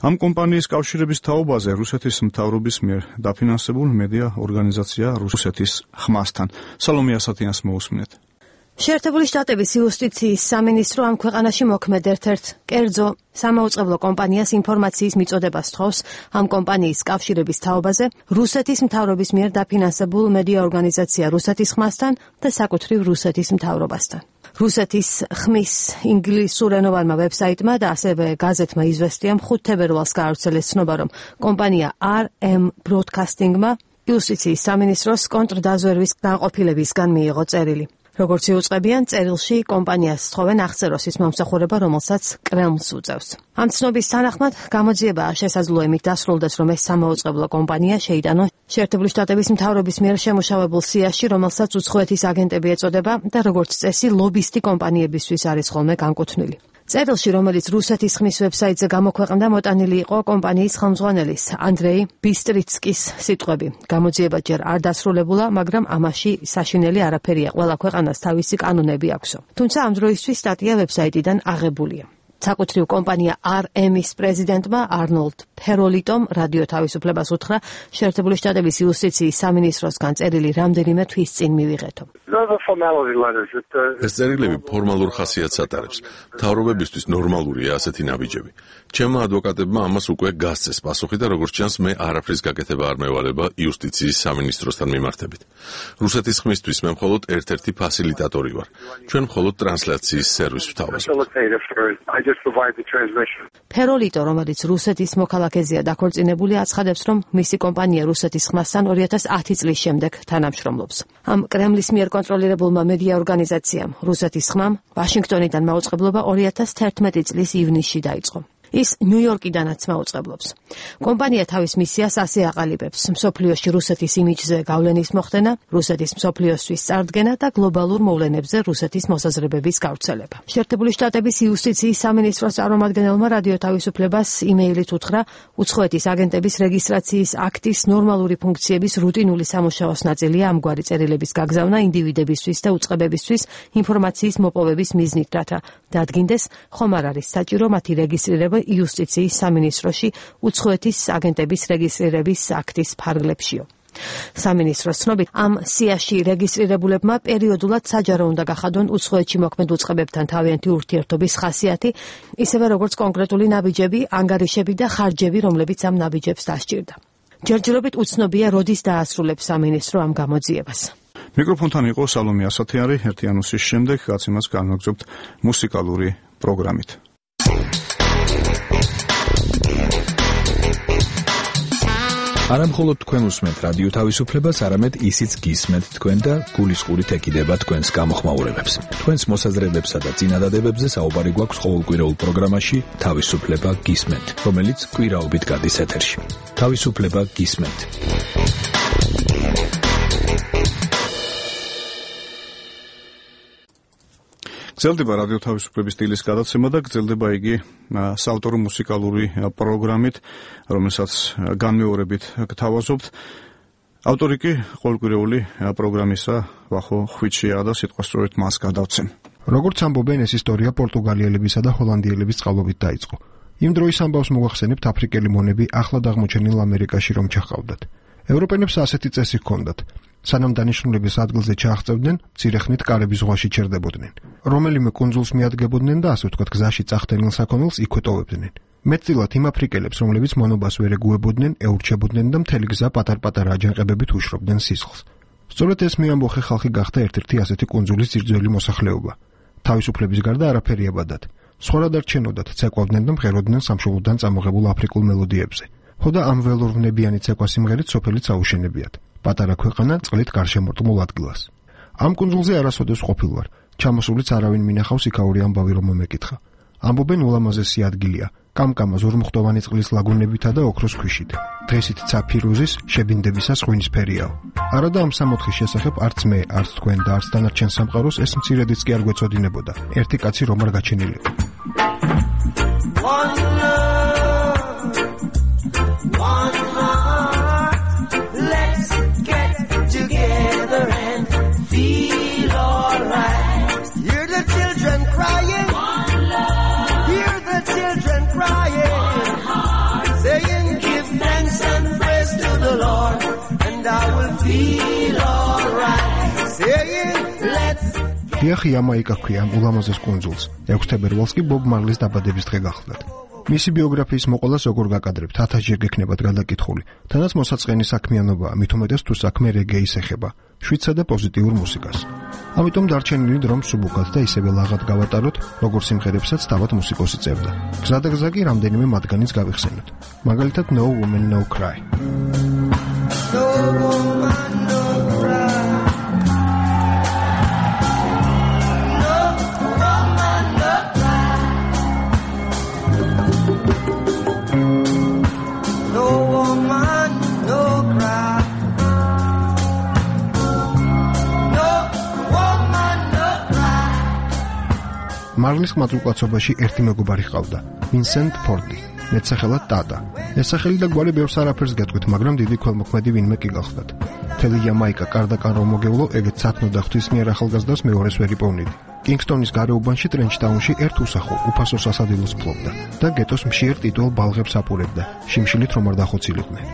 ამ კომპანიის კავშირების თაობაზე რუსეთის მთავრობის მიერ დაფინანსებულ მედია ორგანიზაცია რუსეთის ხმასთან. სალომე ასათიანს მოусმინეთ. შეერთებული შტატების იუსტიციის სამინისტრო ამ ქვეყანაში მოქმედ ერთ-ერთ კერძო სამაუწყებლო კომპანიას ინფორმაციის მიწოდებას თხოვს ამ კომპანიის კავშირების თაობაზე რუსეთის მთავრობის მიერ დაფინანსებულ მედია ორგანიზაცია რუსეთის ხმასთან და საკუთრივ რუსეთის მთავრობასთან. რუსეთის ხმის ინგლისურენოვანმა ვებსაიტმა და ასევე გაზეთმა „იზვესტიამ“ 5 თებერვალს გაავრცელეს ცნობა, რომ კომპანია RM Broadcasting-მა იუსტიციის სამინისტროს კონტრდაზვერვის განყოფილებისგან მიიღო წერილი. როგორც იუწყებიან, წერილში კომპანიას თხოვენ აღწეროს ის მომსახურება, რომელსაც კრემლს უწევს. ამ ცნობის თანახმად, გამოძიებაა შესაძლო იმით დასრულდეს, რომ ეს სამაუწყებლო კომპანია შეიტანოს შეერთებული შტატების მთავრობის მიერ შემუშავებულ სიაში, რომელსაც უცხოეთის აგენტები ეწოდება და როგორც წესი, ლობისტი კომპანიებისთვის არის ხოლმე განკუთვნილი. წერილში, რომელიც რუსეთის ხმის ვებსაიტზე გამოქვეყნდა, მოტანილი იყო კომპანიის ხელმძღვანელის ანდრეი ბისტრიცკის სიტყვები. გამოძიება ჯერ არ დასრულებულა, მაგრამ ამაში საშინელი არაფერია. ყველა ქვეყანას თავისი კანონები აქვსო. თუმცა ამ დროისთვის სტატია ვებსაიტიდან აღებულია. საკუთრივ კომპანია RM-ის პრეზიდენტმა არნოლდ ფეროლიტომ რადიო თავისუფლებას უთხრა შეერთებული შტატების იუსტიციის სამინისტროსგან წერილი რამდენიმე თვის წინ მივიღეთო. ეს წერილები ფორმალურ ხასიათს ატარებს. მთავრობებისთვის ნორმალურია ასეთი ნაბიჯები. ჩემმა ადვოკატებმა ამას უკვე გასცეს პასუხი და როგორც ჩანს, მე არაფრის გაკეთება არ მევალება იუსტიციის სამინისტროსთან მიმართებით. რუსეთის ხმისთვის მე მხოლოდ ერთ-ერთი ფასილიტატორი ვარ. ჩვენ მხოლოდ ტრანსლაციის სერვისს ვთავაზობთ. ფეროლიტო, რომელიც რუსეთის მოქალაქეზეა დაქორწინებული, აცხადებს, რომ მისი კომპანია რუსეთის ხმასთან 2010 წლის შემდეგ თანამშრომლობს. ამ კრემლის მიერ კონტროლირებულმა მედია ორგანიზაციამ რუსეთის ხმამ ვაშინგტონიდან მაუწყებლობა 2011 წლის ივნისში დაიწყო. ის ნიუ-იორკიდანაც მაუწყებლობს. კომპანია თავის მისიას ასე აყალიბებს: მსოფლიოში რუსეთის იმიჯზე გავლენის მოხდენა, რუსეთის მსოფლიოსთვის წარდგენა და გლობალურ მოვლენებზე რუსეთის მოსაზრებების გავრცელება. შეერთებული შტატების იუსტიციის სამინისტროს წარმომადგენელმა რადიო თავისუფლებას იმეილით უთხრა, უცხოეთის აგენტების რეგისტრაციის აქტის ნორმალური ფუნქციების რუტინული სამუშაოს ნაწილია ამგვარი წერილების გაგზავნა ინდივიდებისთვის და უწყებებისთვის ინფორმაციის მოპოვების მიზნით, რათა დადგინდეს, ხომ არ არის საჭირო მათი რეგისტრირება იუსტიციის სამინისტროში უცხოეთის აგენტების რეგისტრირების აქტის ფარგლებშიო. სამინისტროს ცნობით, ამ სიაში რეგისტრირებულებმა პერიოდულად საჯარო უნდა გახადონ უცხოეთში მოქმედ უწყებებთან თავიანთი ურთიერთობის ხასიათი, ისევე როგორც კონკრეტული ნაბიჯები, ანგარიშები და ხარჯები, რომლებიც ამ ნაბიჯებს დასჭირდა. ჯერჯერობით უცნობია, როდის დაასრულებს სამინისტრო ამ გამოძიებას. მიკროფონთან იყო სალომე ასათიანი, ერთი ანონსის შემდეგ გაცემას განვაგრძობთ მუსიკალური პროგრამით. არა მხოლოდ თქვენ უსმენთ რადიო თავისუფლებას, არამედ ისიც გისმენთ თქვენ და გულისყურით ეკიდება თქვენს გამოხმაურებებს. თქვენს მოსაზრებებსა და წინადადებებზე საუბარი გვაქვს ყოველკვირეულ პროგრამაში თავისუფლება გისმენთ, რომელიც კვირაობით გადის ეთერში. თავისუფლება გისმენთ. გრძელდება რადიო თავისუფლების სტილის გადაცემა და გრძელდება იგი საავტორო მუსიკალური პროგრამით, რომელსაც განმეორებით გთავაზობთ. ავტორი კი ყოველკვირეული პროგრამისა ვახო ხვიჩია და სიტყვასწორით მას გადავცემ. როგორც ამბობენ, ეს ისტორია პორტუგალიელებისა და ჰოლანდიელების წყალობით დაიწყო. იმ დროის ამბავს მოგახსენებთ, აფრიკელი მონები ახლად აღმოჩენილ ამერიკაში რომ ჩაჰყავდათ. ევროპელებს ასეთი წესი ჰქონდათ. სანამ დანიშნულების ადგილზე ჩააღწევდნენ, მცირე ხნით კარების ზღვაში ჩერდებოდნენ. რომელიმე კუნძულს მიადგებოდნენ და ასე ვთქვათ, გზაში წახდენილ საქონელს იქვე ტოვებდნენ. მეტწილად იმ აფრიკელებს, რომლებიც მონობას ვერ ეგუებოდნენ, ეურჩებოდნენ და მთელი გზა პატარ-პატარა აჯანყებებით უშრობდნენ სისხლს. სწორედ ეს მეამბოხე ხალხი გახდა ერთ-ერთი ასეთი კუნძულის ძირძველი მოსახლეობა. თავისუფლების გარდა არაფერი აბადად. სხვა რა დარჩენოდათ, ცეკვავდნენ და მღეროდნენ სამშობლოდან წამოღებულ აფრიკულ მელოდიებზე. ხოდა ამ ველურვნებიანი ცეკვა სიმღერით სოფელიც აუშენებიათ. პატარა ქვეყანა წყლით გარშემორტყმულ ადგილას. ამ კუნძულზე არასოდეს ყოფილ ვარ. ჩამოსულიც არავინ მინახავს იქაური ამბავი რომ მომეკითხა. ამბობენ ულამაზესი ადგილია, კამკამა ზურმუხტოვანი წყლის ლაგუნებითა და ოქროს ქვიშით. დღესით ცაფირუზის შებინდებისას ღვინისფერიაო. არადა ამ სამოთხის შესახებ არც მე, არც თქვენ და არც დანარჩენ სამყაროს ეს მცირედიც კი არ გვეწოდინებოდა. ერთი კაცი რომ არ გაჩენილიყო. დიახი, ამაიკა ქვია ამ ულამაზეს კუნძულს. 6 თებერვალს კი ბობ მარლის დაბადების დღე გახლდათ. მისი ბიოგრაფიის მოყოლას როგორ გაკადრებთ, 1000-ჯერ გექნებათ გადაკითხული. თანაც მოსაწყენი საქმიანობაა, მით უმეტეს თუ საქმე რეგეის ეხება, შვიდსა და პოზიტიურ მუსიკას. ამიტომ დარჩენილი დრომ სუბუქად და ისევე ლაღად გავატაროთ, როგორც სიმღერებსაც თავად მუსიკოსი წერდა. გზადაგზა კი რამდენიმე მათგანიც გავიხსენოთ. მაგალითად No Woman No Cry. No woman, no cry. მარლის ხმაწულკაცობაში ერთი მეგობარი ჰყავდა, ვინსენტ ფორდი, მეტსახელად ტატა. ეს სახელი და გვარი ბევრს არაფერს გეტყვით, მაგრამ დიდი ქველმოქმედი ვინმე კი გახლდათ. მთელი იამაიკა კარდაკან რომ მოგევლო, ეგეც სათნო და ღვთისმიერ ახალგაზრდას მეორეს ვერ იპოვნიდი. კინგსტონის გარეუბანში ტრენჩტაუნში ერთ უსახო, უფასო სასადილოს ფლობდა და გეტოს მშიერ ტიტულ ბალღებს აპურებდა, შიმშილით რომ არ დახოცილიყვნენ.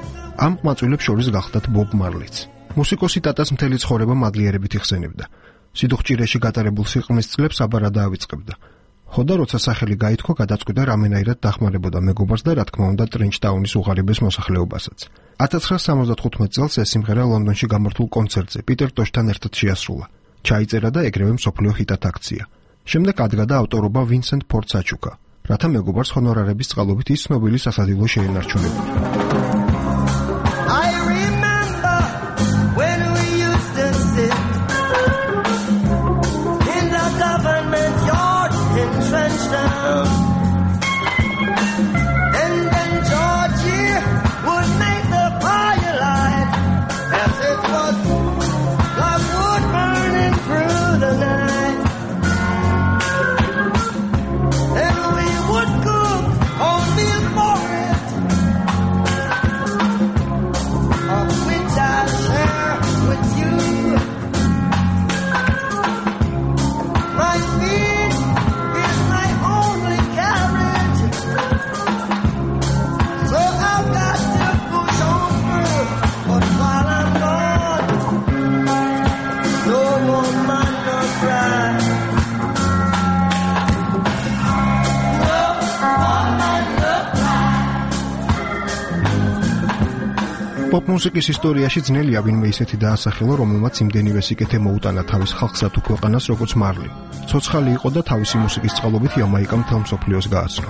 ამ ყმაწვილებს შორის გახლდათ ბობ მარლიც. მუსიკოსი ტატას მთელი ცხოვრება მადლიერებით იხსენებდა. სიდუხჭირეში გატარებულ სიყრმის წლებს აბარა დაავიწყებდა. ხოდა როცა სახელი გაითქვა, გადაწყვიტა რამენაირად დახმარებოდა მეგობარს და რა თქმა უნდა ტრენჩტაუნის უღარიბეს მოსახლეობასაც. 1975 წელს ეს სიმღერა ლონდონში გამართულ კონცერტზე პიტერ ტოშთან ერთად შეასრულა. ჩაიწერა და ეგრევე მსოფლიო ჰიტად აქცია. შემდეგ ადგა და ავტორობა ვინსენტ ფორდს აჩუქა, რათა მეგობარს ჰონორარების წყალობით ის ცნობილი სასადილო შეენარჩუნებოდა. პოპ მუსიკის ისტორიაში ძნელია ვინმე ისეთი დაასახელა, რომელმაც იმდენივე სიკეთე მოუტანა თავის ხალხსა თუ ქვეყანას როგორც მარლი. ცოცხალი იყო და თავისი მუსიკის წყალობით იამაიკა მთელ მსოფლიოს გააცნო.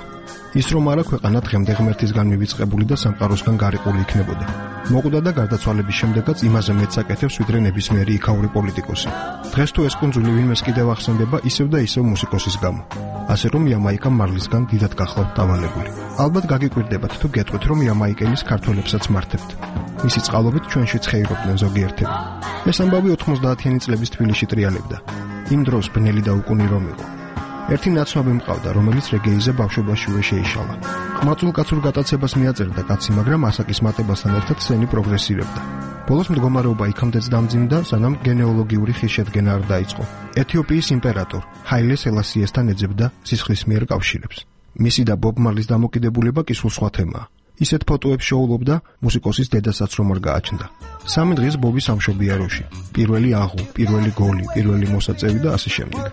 ის რომ არა ქვეყანა დღემდე ღმერთისგან მივიწყებული და სამყაროსგან გარიყული იქნებოდა. მოკვდა და გარდაცვალების შემდეგაც იმაზე მეც აკეთებს ვიდრე ნებისმიერი იქაური პოლიტიკოსი. დღეს თუ ეს კუნძული ვინმეს კიდევ ახსენდება ისევ და ისევ მუსიკოსის გამო. ასე რომ იამაიკა მარლისგან დიდად გახლავთ დავალებული. ალბათ გაგიკვირდებათ თუ გეტყვით რომ იამაიკელის ქართველებსაც მართებთ. მისი წყალობით ჩვენშიც ხეირობდნენ ზოგიერთები. ეს ამბავი 90-იანი წლების თბილისში ტრიალებდა. იმ დროს ბნელი და უკუნი რომ იყო. ერთი ნაცნობი მყავდა, რომელიც რეგეიზე ბავშვობაშივე შეიშალა. ყმაწვილ-კაცურ გატაცებას მიაწერდა კაცი, მაგრამ ასაკის მატებასთან ერთად სცენი პროგრესირებდა. ბოლოს მდგომარეობა იქამდეც დამძიმდა, სანამ გენეოლოგიური ხისშედგენა არ დაიწყო. ეთიოპიის იმპერატორ ჰაილე სელასიესთან ეძებდა სისხლისმიერ კავშირებს. მისი და ბობ მარლის დამოკიდებულება კი სულ სხვა თემაა. ისეთ ფოტოებს შოულობდა მუსიკოსის დედასაც რომ არ გააჩნდა. 3 დღეს ბობი სამშობია როში. პირველი აღუ, პირველი გოლი, პირველი მოსაწევი და ასე შემდეგ.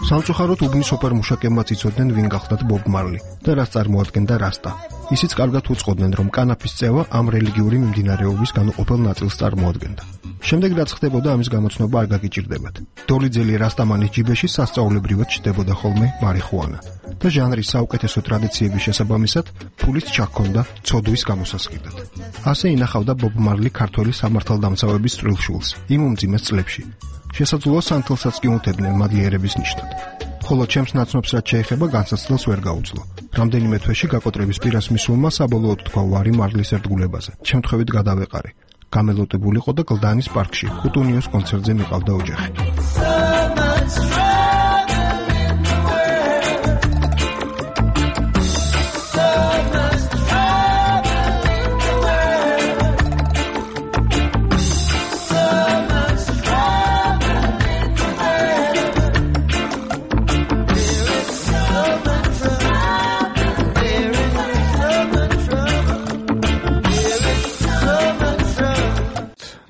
სამწუხაროდ უბნის ოპერ მუშაკებმაც იცოდნენ ვინ გახლდათ ბობ მარლი და რას წარმოადგენდა რასტა. ისიც კარგად უწყოდნენ რომ კანაფის წევა ამ რელიგიური მიმდინარეობის განუყოფელ ნაწილს წარმოადგენდა. შემდეგ რაც ხდებოდა ამის გამოცნობა არ გაგიჭირდებათ. დოლიძელი რასტამანის ჯიბეში სასწაულებრივად ჩდებოდა ხოლმე მარიხუანა და ჟანრის საუკეთესო ტრადიციების შესაბამისად ფულის ჩაქონდა ცოდვის გამოსასყიდად. ასე ინახავდა ბობ მარლი ქართველი სამართალდამცავების წვრილშულს იმ უმძიმეს წლებში. შესაძლოა სანთელსაც კი უთებდნენ მადლიერების ნიშნად. ხოლო ჩემს ნაცნობს რაც შეეხება განსაცდელს ვერ გაუძლო. რამდენიმე თვეში გაკოტრების პირას მისულმა საბოლოოდ თქვა ვარი მარლის ერთგულებაზე. შემთხვევით გადავეყარე. გამელოტებულიყო და გლდანის პარკში კუტუნიოს კონცერტზე მიყავდა ოჯახი.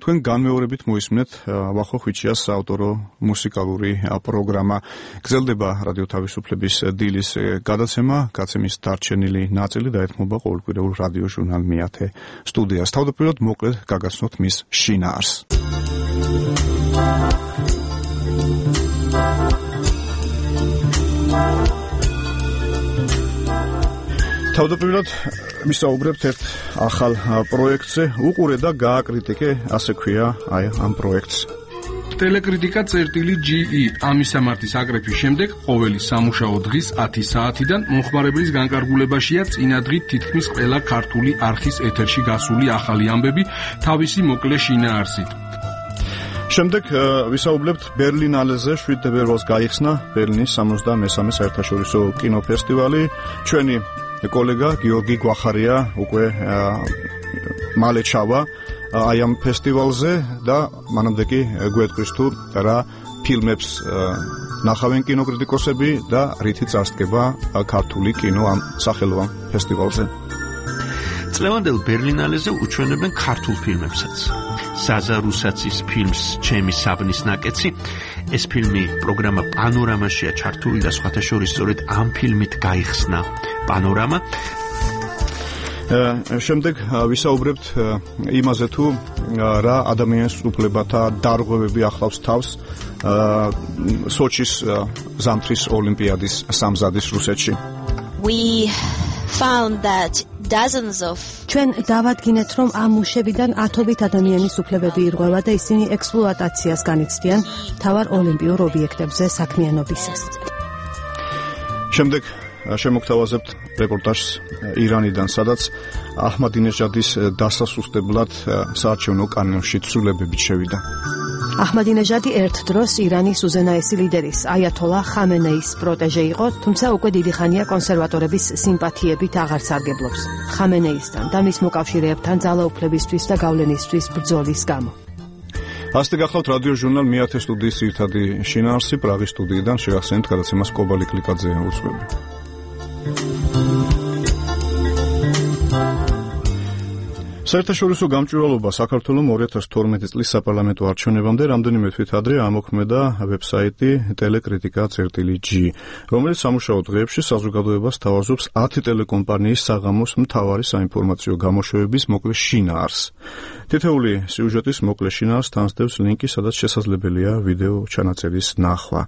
თქვენ განმეორებით მოისმენთ ვახო ხვიჩიას საავტორო მუსიკალური პროგრამა. გრძელდება რადიო თავისუფლების დილის გადაცემა, გაცემის დარჩენილი ნაწილი დაეთმობა ყოველკვირეულ რადიო ჟურნალ მეათე სტუდიას. თავდაპირველად მოკლედ გაგაცნოთ მის შინაარს. თავდაპირველად ვისაუბრებთ ერთ ახალ პროექტზე, უყურე და გააკრიტიკე, ასე ქვია აი ამ პროექტს. ტელეკრიტიკა წერტილი GE ამისამართის აკრეფის შემდეგ ყოველი სამუშაო დღის 10 საათიდან მომხმარებლის განკარგულებაშია წინა დღით თითქმის ყველა ქართული არხის ეთერში გასული ახალი ამბები თავისი მოკლე შინაარსით. შემდეგ ვისაუბრებთ ბერლინალეზე 7 თებერვალს გაიხსნა ბერლინის 73-მე საერთაშორისო კინოფესტივალი. ჩვენი კოლეგა გიორგი გვახარია უკვე მალე ჩავა აი ამ ფესტივალზე და მანამდე კი გვეტყვის თუ რა ფილმებს ნახავენ კინოკრიტიკოსები და რითი წარსდგება ქართული კინო ამ სახელოვან ფესტივალზე. წლევანდელ ბერლინალეზე უჩვენებენ ქართულ ფილმებსაც. საზა რუსაცის ფილმს ჩემი საბნის ნაკეცი. ეს ფილმი პროგრამა პანორამაშია ჩართული და სხვათა შორის სწორედ ამ ფილმით გაიხსნა პანორამა. შემდეგ ვისაუბრებთ იმაზე თუ რა ადამიანის უფლებათა დარღვევები ახლავს თავს სოჩის ზამთრის ოლიმპიადის სამზადის რუსეთში. We found that dozens of ჩვენ დავადგინეთ, რომ ამ მუშებიდან ათობით ადამიანის უფლებები ირღვევა და ისინი ექსპლუატაციას განიცდიან მთავარ ოლიმპიურ ობიექტებზე საქმიანობისას. შემდეგ შემოგთავაზებთ რეპორტაჟს ირანიდან, სადაც აჰმადინეჟადის დასასუსტებლად საარჩევნო კანონში ცვლილებებით შევიდა. აჰმადინეჟადი ერთ დროს ირანის უზენაესი ლიდერის აიათოლა ხამენეის პროტეჟე იყო, თუმცა უკვე დიდი ხანია კონსერვატორების სიმპათიებით აღარ სარგებლობს ხამენეისთან და მის მოკავშირეებთან ძალაუფლებისთვის და გავლენისთვის ბრძოლის გამო. ასეთი გახლავთ რადიო ჟურნალ მეათე სტუდიის ერთადი შინაარსი პრაღის სტუდიიდან შეახსენეთ გადაცემას კობალი კლიკაძე უძღვები. საერთაშორისო გამჭვირვალობა საქართველოს 2012 წლის საპარლამენტო არჩევნებამდე რამდენიმე თვით ადრე ამოქმედა ვებსაიტი ტელეკრიტიკა.g, რომელიც სამუშაო დღეებში საზოგადოებას თავაზობს 10 ტელეკომპანიის საღამოს მთავარი საინფორმაციო გამოშვებების მოკლე შინაარსს. თითეული სიუჟეტის მოკლე შინაარსს თანსდევს ლინკი, სადაც შესაძლებელია ვიდეო ჩანაწერის ნახვა.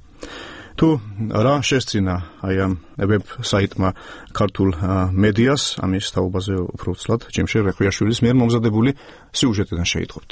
თუ რა შესწინა აი ამ ვებსაიტმა ქართულ მედიას, ამის თაობაზე უფრო ცლად ჯიმშე რეხვიაშვილის მიერ მომზადებული სიუჟეტიდან შეიტყობთ.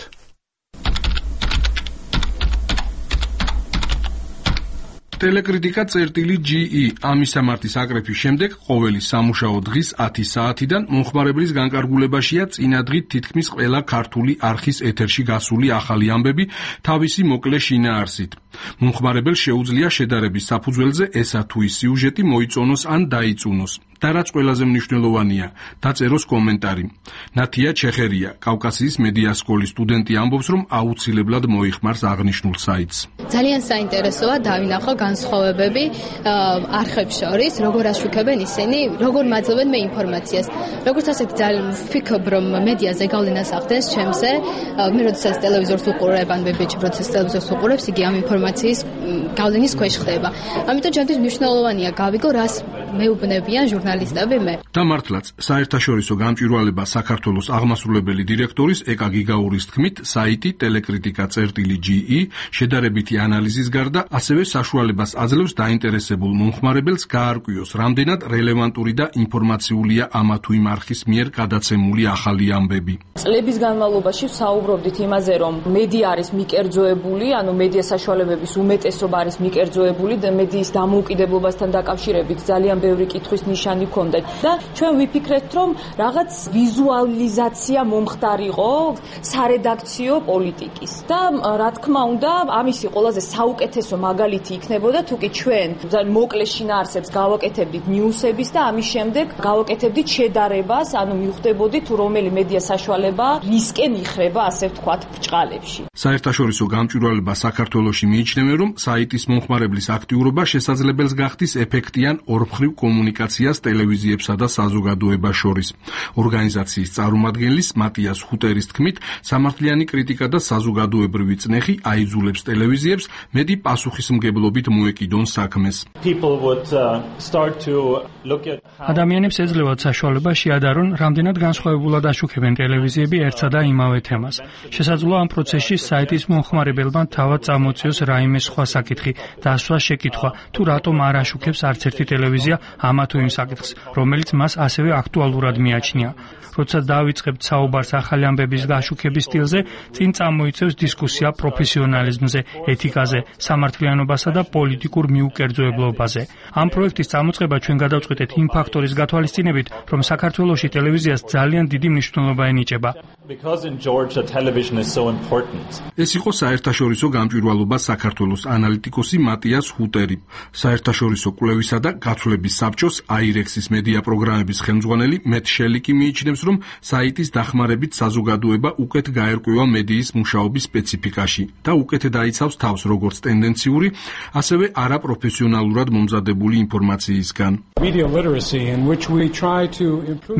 ტელეკრიტიკა.ge ამისამართის აკრეფის შემდეგ ყოველი სამუშაო დღის 10 საათიდან მომხმარებლის განკარგულებაშია წინა დღით თითქმის ყველა ქართული არხის ეთერში გასული ახალი ამბები თავისი მოკლე შინაარსით. მომხმარებელს შეუძლია შედარების საფუძველზე ესა თუ ის სიუჟეტი მოიწონოს ან დაიწუნოს. და რაც ყველაზე მნიშვნელოვანია, დაწეროს კომენტარი. ნათია ჩეხერია, კავკასიის მედია სკოლის სტუდენტი ამბობს, რომ აუცილებლად მოიხმარს აღნიშნულ საიტს. ძალიან საინტერესოა დავინახო განსხვავებები არხებს შორის, როგორ აშუქებენ ისინი, როგორ მაძლევენ მე ინფორმაციას. როგორც ასეთი ძალიან ვფიქრობ, რომ მედიაზე გავლენას ახდენს ჩემზე. მე როდესაც ტელევიზორს უყურებ, ან ვებიჩი როდესაც ტელევიზორს უყურებ, იგი ამ ინფორმაციის გავლენის ქვეშ ხდება. ამიტომ ჩემთვის მნიშვნელოვანია გავიგო, რას მეუბნებიან ჟურნალისტები მე. და მართლაც, საერთაშორისო გამჭვირვალება საქართველოს აღმასრულებელი დირექტორის ეკა გიგაურის თქმით, საიტი ტელეკრიტიკა.ge შედარებითი ანალიზის გარდა ასევე საშუალებას აძლევს დაინტერესებულ მომხმარებელს გაარკვიოს, რამდენად რელევანტური და ინფორმაციულია ამა თუ იმ არხის მიერ გადაცემული ახალი ამბები. წლების განმავლობაში ვსაუბრობდით იმაზე, რომ მედია არის მიკერძოებული, ანუ მედია საშუალებების უმეტესობა არის მიკერძოებული და მედიის დამოუკიდებლობასთან დაკავშირებით ძალიან ბევრი კითხვის ნიშანი ქონდა და ჩვენ ვიფიქრეთ, რომ რაღაც ვიზუალიზაცია მომხდარიყო სარედაქციო პოლიტიკის და რა თქმა უნდა, ამისი ყველაზე საუკეთესო მაგალითი იქნებოდა თუ კი ჩვენ ძალიან მოკლე შინაარსებს გავაკეთებდით ნიუსების და ამის შემდეგ გავაკეთებდით შედარებას, ანუ მივხვდებოდით თუ რომელი მედია საშუალება რისკენ იხრება, ასე ვთქვათ, ბრჭყალებში. საერთაშორისო გამჭვირვალება საქართველოში მიიჩნევენ, რომ საიტის მომხმარებლის აქტიურობა შესაძლებელს გახდის ეფექტიან ორმხრივ კომუნიკაციას ტელევიზიებსა და საზოგადოებას შორის. ორგანიზაციის წარმომადგენლის მატიას ჰუტერის თქმით, სამართლიანი კრიტიკა და საზოგადოებრივი წნეხი აიძულებს ტელევიზიებს მეტი პასუხისმგებლობით მოეკიდონ საქმეს. ადამიანებს ეძლევათ საშუალება შეადარონ, რამდენად განსხვავებულად აშუქებენ ტელევიზიები ერთსა და იმავე თემას. შესაძლოა ამ პროცესში საიტის მომხმარებელმა თავად წამოწიოს რაიმე სხვა საკითხი და ასვას შეკითხვა, თუ რატომ არ აშუქებს არც ერთი ტელევიზია ამა თუ იმ საკითხს, რომელიც მას ასევე აქტუალურად მიაჩნია. როდესაც დავიწყებთ საუბარს ახალი ამბების გაშუქების სტილზე, წინ წამოიწევს დისკუსია პროფესიონალიზმზე, ეთიკაზე, სამართლიანობასა და პოლიტიკურ მიუკერძოებლობაზე. ამ პროექტის წამოწყება ჩვენ გადავწყვეტეთ იმ ფაქტორის გათვალისწინებით, რომ საქართველოში ტელევიზიას ძალიან დიდი მნიშვნელობა ენიჭება. ეს იყო საერთაშორისო გამჭვირვალობა საქართველოს ანალიტიკოსი მატიას ჰუტერი, საერთაშორისო კვლევისა და გაცვლების საბჭოს აირექსის მედია პროგრამების ხელმძღვანელი მეტ შელიკი მიიჩნევს, რომ საიტის დახმარებით საზოგადოება უკეთ გაერკვევა მედიის მუშაობის სპეციფიკაში და უკეთ დაიცავს თავს როგორც ტენდენციური, ასევე არაპროფესიონალურად მომზადებული ინფორმაციისგან.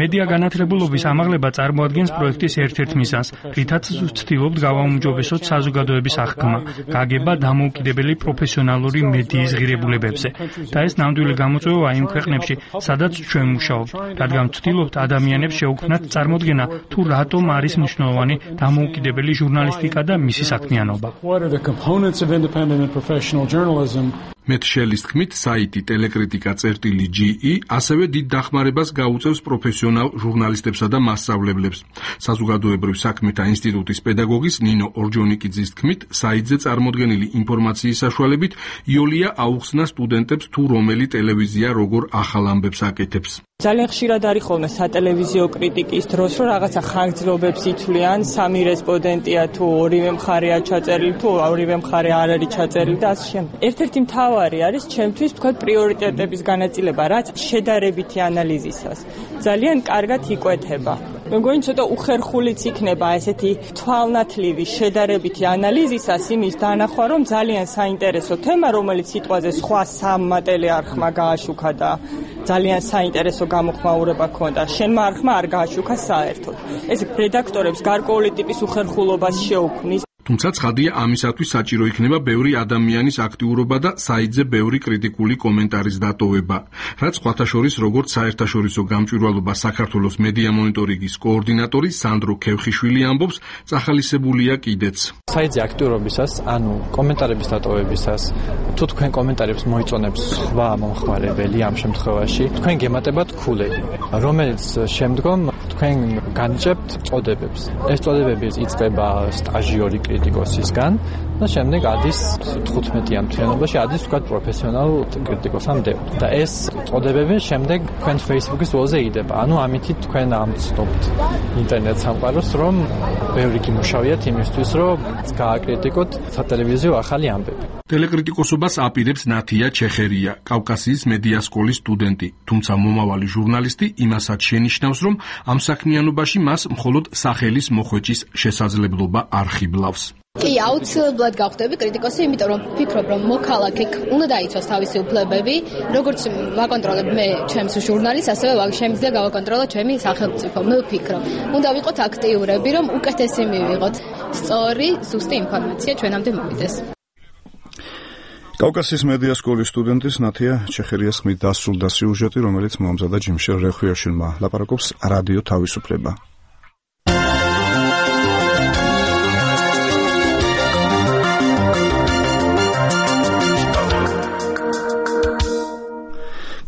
მედია განათლებულობის ამაღლება წარმოადგენს პროექტის ერთ-ერთ მიზანს, რითაც ვცდილობთ გავაუმჯობესოთ საზოგადოების აღქმა, გაგება დამოუკიდებელი პროფესიონალური მედიის ღირებულებებზე და ეს ნამდვილი გამოწვევა იმ ქვეყნებში, სადაც ჩვენ მუშაობთ, რადგან ვცდილობთ ადამიანებს შეუქმნათ წარმოდგენა თუ რატომ არის მნიშვნელოვანი დამოუკიდებელი ჟურნალისტიკა და მისი საქმიანობა. მეტ შელის თქმით, საიტი telecritica.ge ასევე დიდ დახმარებას გაუწევს პროფესიონალ ჟურნალისტებსა და მასწავლებლებს. საზოგადოებრივ საქმეთა ინსტიტუტის პედაგოგის ნინო ორჯონიკიძის თქმით, საიტზე წარმოდგენილი ინფორმაციის საშუალებით იოლია აუხსნა სტუდენტებს თუ რომელი ტელევიზია როგორ ახალ ამბებს აკეთებს. ძალიან ხშირად არის ხოლმე სატელევიზიო კრიტიკის დროს, რომ რაღაცა ხანგრძლივობებს ითვლიან, სამი რესპონდენტია თუ ორივე მხარეა ჩაწერილი, თუ ორივე მხარე არ არის ჩაწერილი და ასე შემდეგ. ერთ-ერთი მთავარი არის ჩემთვის თქვა პრიორიტეტების განაწილება, რაც შედარებითი ანალიზისას ძალიან კარგად იკვეთება. მე მგონი ცოტა უხერხულიც იქნება ესეთი თვალნათლივი შედარებითი ანალიზისას იმის დანახვა, რომ ძალიან საინტერესო თემა, რომელიც სიტყვაზე სხვა სამ მატერიალმა გააშუქა და ძალიან საინტერესო გამოხმაურება ქონდა. შენმა არხმა არ გააშუქა საერთოდ. ეს რედაქტორებს გარკვეული ტიპის უხერხულობას შეუქმნის. თუმცა ცხადია, ამისათვის საჭირო იქნება ბევრი ადამიანის აქტიურობა და საიტზე ბევრი კრიტიკული კომენტარის დატოვება. რაც სხვათა შორის, როგორც საერთაშორისო გამჭვირვალობა საქართველოს მედია მონიტორინგის კოორდინატორი სანდრო ქევხიშვილი ამბობს, წახალისებულია კიდეც. საიტზე აქტიურობისას, ანუ კომენტარების დატოვებისას, თუ თქვენ კომენტარებს მოიწონებს სხვა მომხმარებელი ამ შემთხვევაში, თქვენ გემატებათ ქულები, რომელიც შემდგომ თქვენ განიჭებთ წოდებებს. ეს წოდებები იწყება სტაჟიორი კრიტიკოსისგან და შემდეგ ადის 15-იან თვიანობაში ადის თქვა პროფესიონალ კრიტიკოსამდე. და ეს წოდებები შემდეგ თქვენ Facebook-ის ველზე იდება. ანუ ამითი თქვენ ამცნობთ ინტერნეტ სამყაროს, რომ ბევრი გიმუშავიათ იმისთვის, რომ გააკრიტიკოთ სატელევიზიო ახალი ამბები. ტელეკრიტიკოსობას აპირებს ნათია ჩეხერია, კავკასიის მედია სკოლის სტუდენტი, თუმცა მომავალი ჟურნალისტი იმასაც შენიშნავს, რომ ამ საქმიანობაში მას მხოლოდ სახელის მოხვეჭის შესაძლებლობა არ ხიბლავს. კი, აუცილებლად გავხდები კრიტიკოსი, იმიტომ რომ ვფიქრობ, რომ მოქალაქე უნდა დაიცვას თავისი უფლებები, როგორც ვაკონტროლებ მე ჩემს ჟურნალისტს, ასევე შემიძლია გავაკონტროლო ჩემი სახელმწიფო. მე ვფიქრობ, უნდა ვიყოთ აქტიურები, რომ უკეთესი მივიღოთ სწორი, ზუსტი ინფორმაცია ჩვენამდე მოვიდეს. კავკასიის მედია სკოლის სტუდენტის ნათია ჩეხერიას ხმით დასრულდა სიუჟეტი, რომელიც მომზადა ჯიმშელ რეხვიაშვილმა. ლაპარაკობს რადიო თავისუფლება.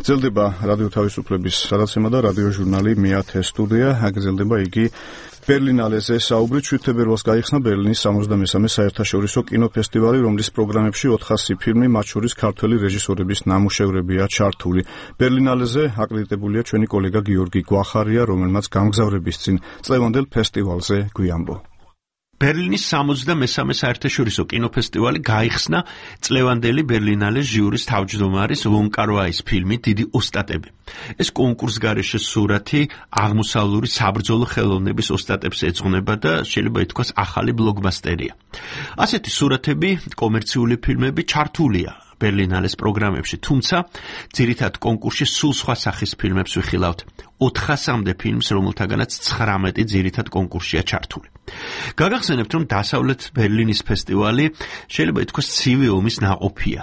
გრძელდება რადიო თავისუფლების გადაცემა და რადიო ჟურნალი მეათე სტუდია. გრძელდება იგი ბერლინალეზე საუბრით. 7 თებერვალს გაიხსნა ბერლინის 63-მე საერთაშორისო კინოფესტივალი, რომლის პროგრამებში 400 ფილმი, მათ შორის ქართველი რეჟისორების ნამუშევრებია ჩართული. ბერლინალეზე აკრედიტებულია ჩვენი კოლეგა გიორგი გვახარია, რომელმაც გამგზავრების წინ წლევანდელ ფესტივალზე გვიამბო. ბერლინის 63-მე საერთაშორისო კინოფესტივალი გაიხსნა წლევანდელი ბერლინალეს ჟიურის თავმჯდომარის ვონ კარ-ვაის ფილმით დიდი ოსტატები. ეს კონკურსგარეშე სურათი აღმოსავლური საბრძოლო ხელოვნების ოსტატებს ეძღვნება და შეიძლება ითქვას ახალი ბლოკბასტერია. ასეთი სურათები, კომერციული ფილმები ჩართულია ბერლინალეს პროგრამებში, თუმცა ძირითად კონკურსში სულ სხვა სახის ფილმებს ვიხილავთ. 400-მდე ფილმს, რომელთაგანაც 19 ძირითად კონკურსშია ჩართული. გაგახსენებთ, რომ დასავლეთ ბერლინის ფესტივალი შეიძლება ითქვას ცივი ომის ნაყოფია.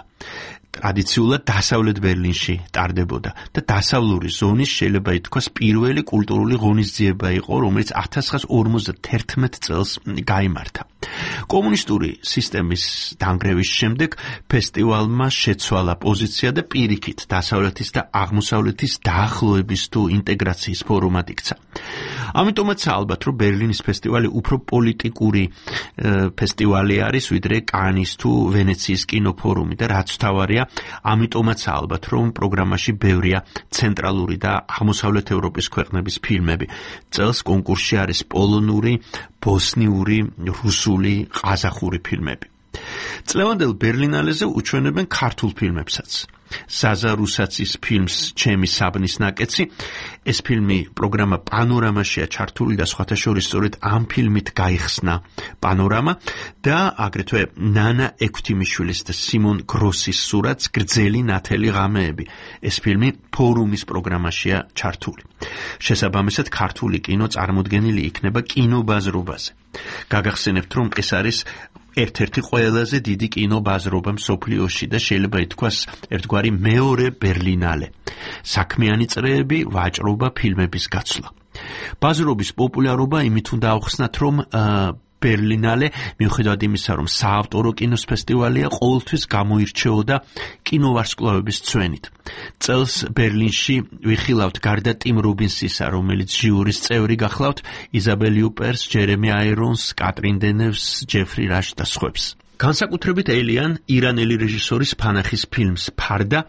ტრადიციულად დასავლეთ ბერლინში ტარდებოდა და დასავლური ზონის შეიძლება ითქვას პირველი კულტურული ღონისძიება იყო, რომელიც 1951 წელს გაიმართა. კომუნისტური სისტემის დანგრევის შემდეგ ფესტივალმა შეცვალა პოზიცია და პირიქით დასავლეთის და აღმოსავლეთის დაახლოების თუ ინტეგრაციის ფორმატ იქცა. ამიტომაც ალბათ რომ ბერლინის ფესტივალი უფრო პოლიტიკური ფესტივალი არის ვიდრე კანის თუ ვენეციის კინოფორუმი და რაც თავარია ამიტომაც ალბათ რომ პროგრამაში ბევრია ცენტრალური და აღმოსავლეთ ევროპის ქვეყნების ფილმები. წელს კონკურსში არის პოლონური, ბოსნიური, რუსული, ყაზახური ფილმები. წლევანდელ ბერლინალეზე უჩვენებენ ქართულ ფილმებსაც. საზა რუსაცის ფილმს ჩემი საბნის ნაკეცი ეს ფილმი პროგრამა პანორამაშია ჩართული და სხვათა შორის სწორედ ამ ფილმით გაიხსნა პანორამა და აგრეთვე ნანა ექვთიმიშვილის და სიმონ გროსის სურათს გრძელი ნათელი ღამეები ეს ფილმი ფორუმის პროგრამაშია ჩართული. შესაბამისად ქართული კინო წარმოდგენილი იქნება კინობაზრობაზე. გაგახსენებთ რომ ეს არის ერთ-ერთი ყველაზე დიდი კინობაზრობა მსოფლიოში და შეიძლება ითქვას ერთგვარი მეორე ბერლინალე. საქმიანი წრეები, ვაჭრობა, ფილმების გაცვლა. ბაზრობის პოპულარობა იმით უნდა ავხსნათ, რომ ბერლინალე მიუხედავად იმისა, რომ საავტორო კინოს ფესტივალია, ყოველთვის გამოირჩეოდა კინოვარსკვლავების წვენით. წელს ბერლინში ვიხილავთ გარდა ტიმ რობინსისა, რომელიც ჟიურის წევრი გახლავთ, იზაბელ იუპერს, ჯერემი აირონს, კატრინ დენევს, ჯეფრი რაშ და სხვებს. განსაკუთრებით ელიან ირანელი რეჟისორის ფანახის ფილმს ფარდა,